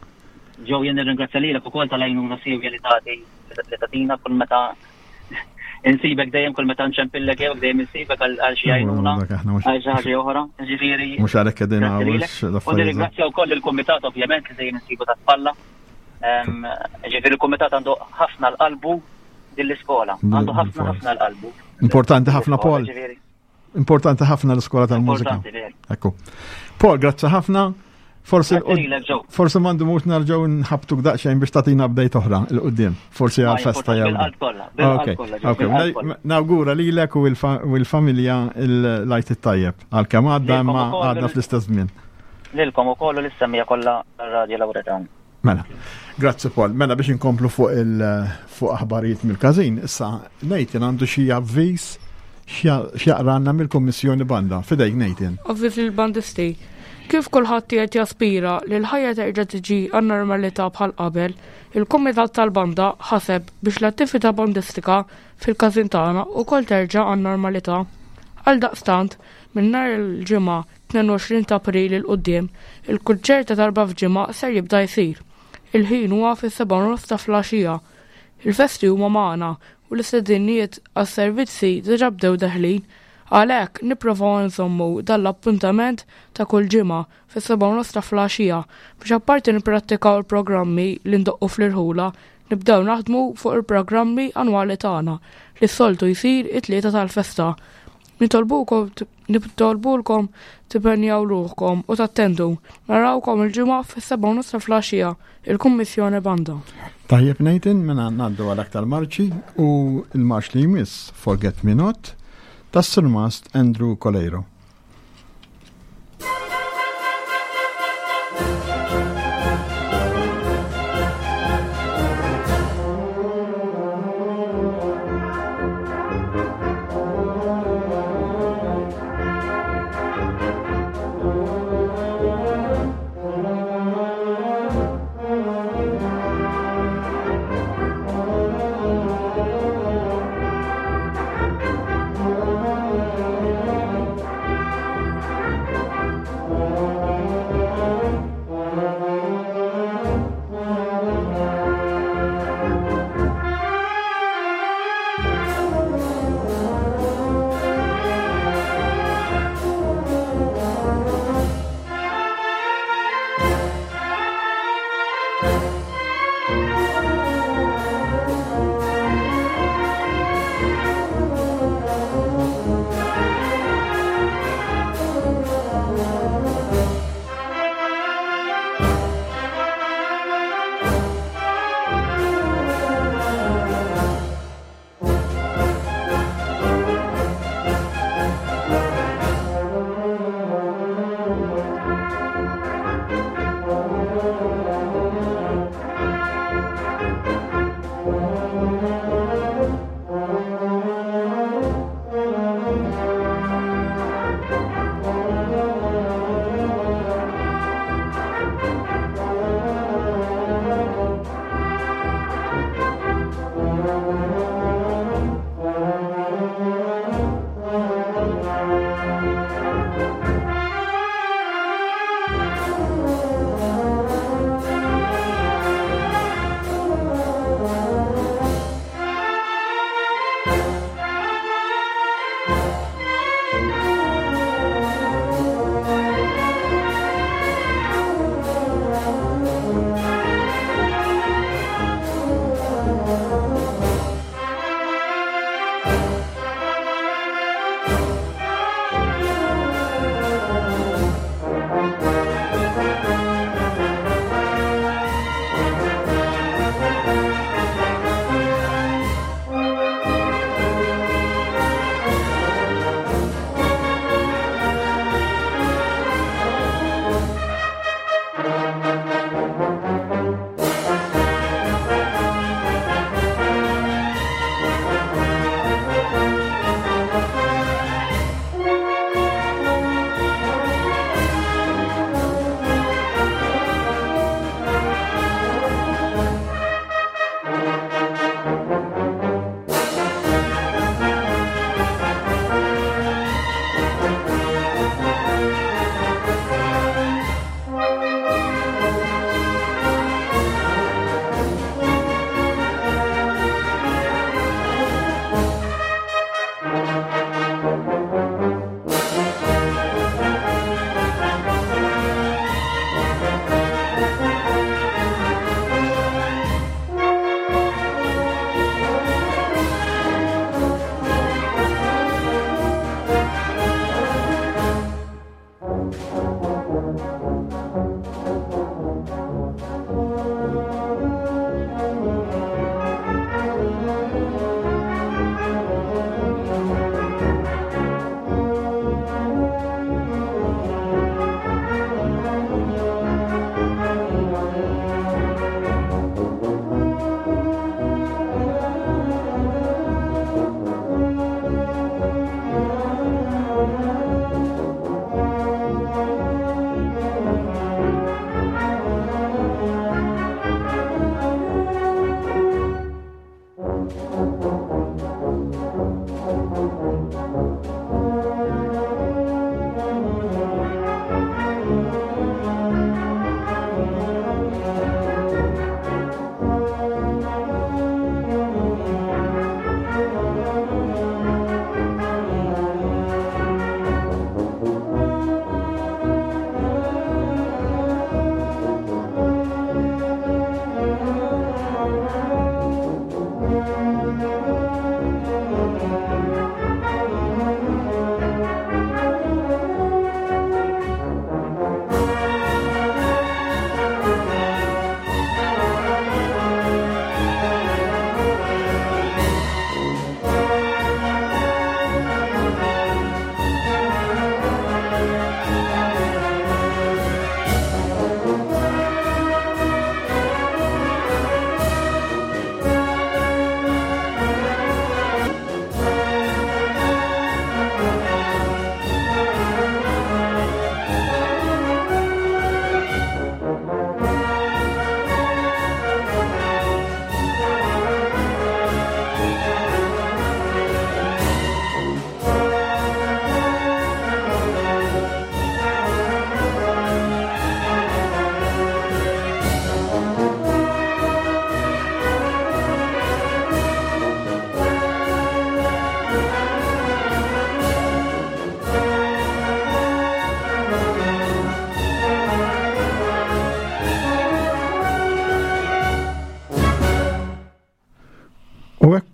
Ġew jien nirringrazzja lilek ukoll tal-għajnuna siewja li tagħti li tagħtina kull meta insibek dejjem kull meta nċempillek jew dejjem insibek għal xi għajnuna għal xi ħaġa oħra. Ġifieri. Mhux għalhekk qegħdin U nirringrazzja wkoll il-kumitat ovvjament li dejjem insibu ta' spalla. Ġifieri il-kumitat għandu ħafna l-qalbu din l-iskola. Għandu ħafna ħafna l-qalbu. Importanti ħafna Paul. Importanti ħafna l-iskola tal-mużika. Ekku. Paul, grazzi ħafna. Forsi forsi mandu mux narġaw nħabtuk daqxejn biex tatina update oħra il-qoddim. Forsi għal-festa jew. Ok, ok. Nawgura lilek u l-familja il-lajt it-tajjeb. Għal-kemm għadda imma għadna fl-istess żmien. Lilkom ukoll u l-istemmija kollha Radio Lauretan. Mela, grazzi Paul. Mela biex inkomplu fuq il fuq aħbarijiet mill-każin, issa Nathan għandu xi avviż x'jaqranna mill-Kummissjoni Banda. Fidejk Nathan. Avviż lill-bandisti. Kif kulħadd qiegħed jaspira li l-ħajja terġa' tiġi għan-normalità bħal qabel, il-Kumitat tal-Banda ħaseb biex l-attività bandistika fil-każin tagħna wkoll terġa' għan-normalità. Għaldaqstant, minn nhar il-Ġimgħa 22 ta' April 'il quddiem, il-kunċert ta' darba f'ġimgħa ser jibda jsir. Il-ħin huwa fis-sebgħa u nofs ta' flaxija. Il-festi huma magħna u l-istediniet għas-servizzi diġà bdew deħlin. Għalhekk, nipprovaw inżommu dan l-appuntament ta' kull ġimgħa fis-sebgħa u nofs ta' flaxija biex apparti nipprattikaw il-programmi li ndoqqu fl-irħula, nibdew naħdmu fuq il-programmi annwali tagħna li s-soltu jsir it-Tlieta tal-festa. Nitolbukom Nitolbulkom tipenjaw ruħkom u tattendu. Narawkom il-Ġimgħa fis-sebgħa u nofs ta' flaxija, il-Kummissjoni Banda. Tajjeb Nathan, mela ngħaddu għal aktar marċi u l-marċ li jmiss Forget Me Not tas-Surmast Andrew Coleiro.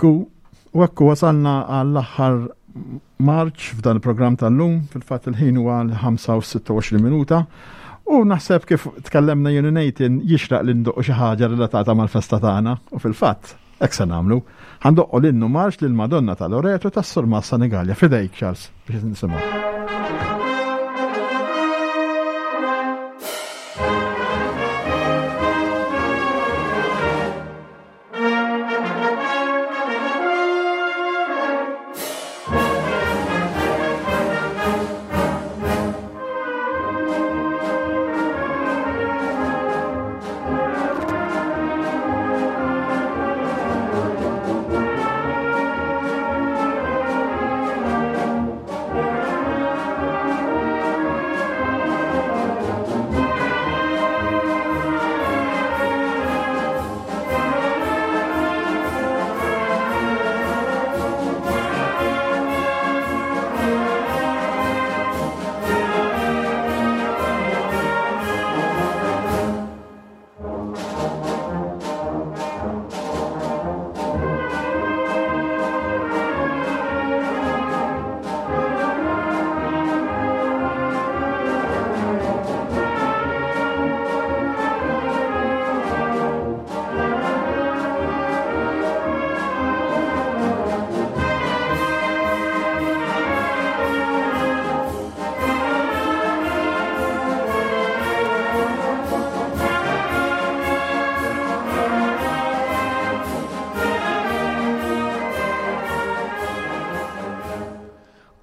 Ekku, u ekku wasalna għall-aħħar marċ f'dan il-programm tal-lum, fil-fatt il-ħin huwa l-5 u 26 minuta. U naħseb kif tkellemna jien u Nathan jixraq li ndoqqu xi ħaġa relatata mal-festa tagħna u fil-fatt hekk se nagħmlu. Ħa ndoqqu l-innu marċ lil Madonna ta' Loreto tas-Surmast Senigallia. Fidejk Charles biex nisimgħu.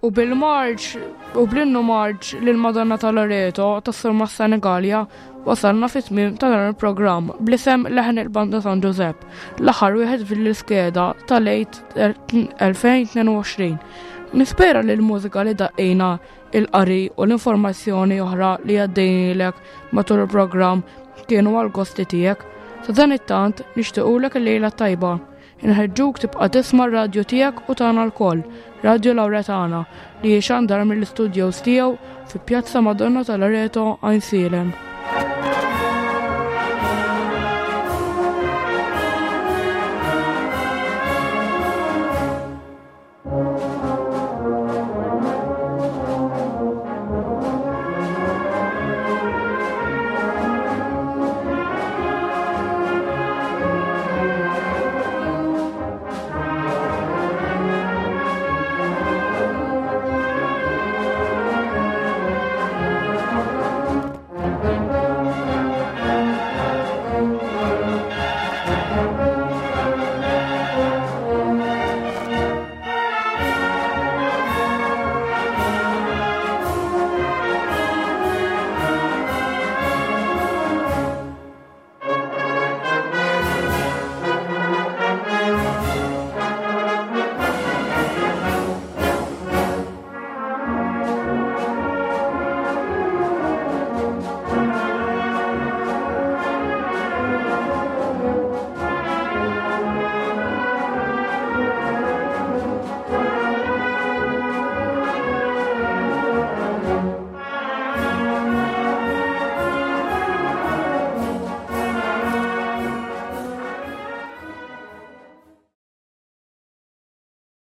U bil-marċ u bl-innu marċ lil Madonna ta' Loreto tas-Surmast Senigallia wasalna fit-tmiem ta' dan il-programm bl-isem Leħen il-Banda San Ġużepp, l-aħħar wieħed fil-iskeda tal-Għid 2022. Nispera li l-mużika li daqqejna il-qari u l-informazzjoni oħra li għaddejnilek matul il-programm kienu għal-gosti tiegħek. Sa dan it-tant nixtiequlek il-lejla tajba. Inħeġġuk tibqa' tisma' r-radju tiegħek u tagħna lkoll, Radju Lauretana, li jixandar mill-istudios tiegħu fi Pjazza Madonna ta' Loreto, Għajnsielem.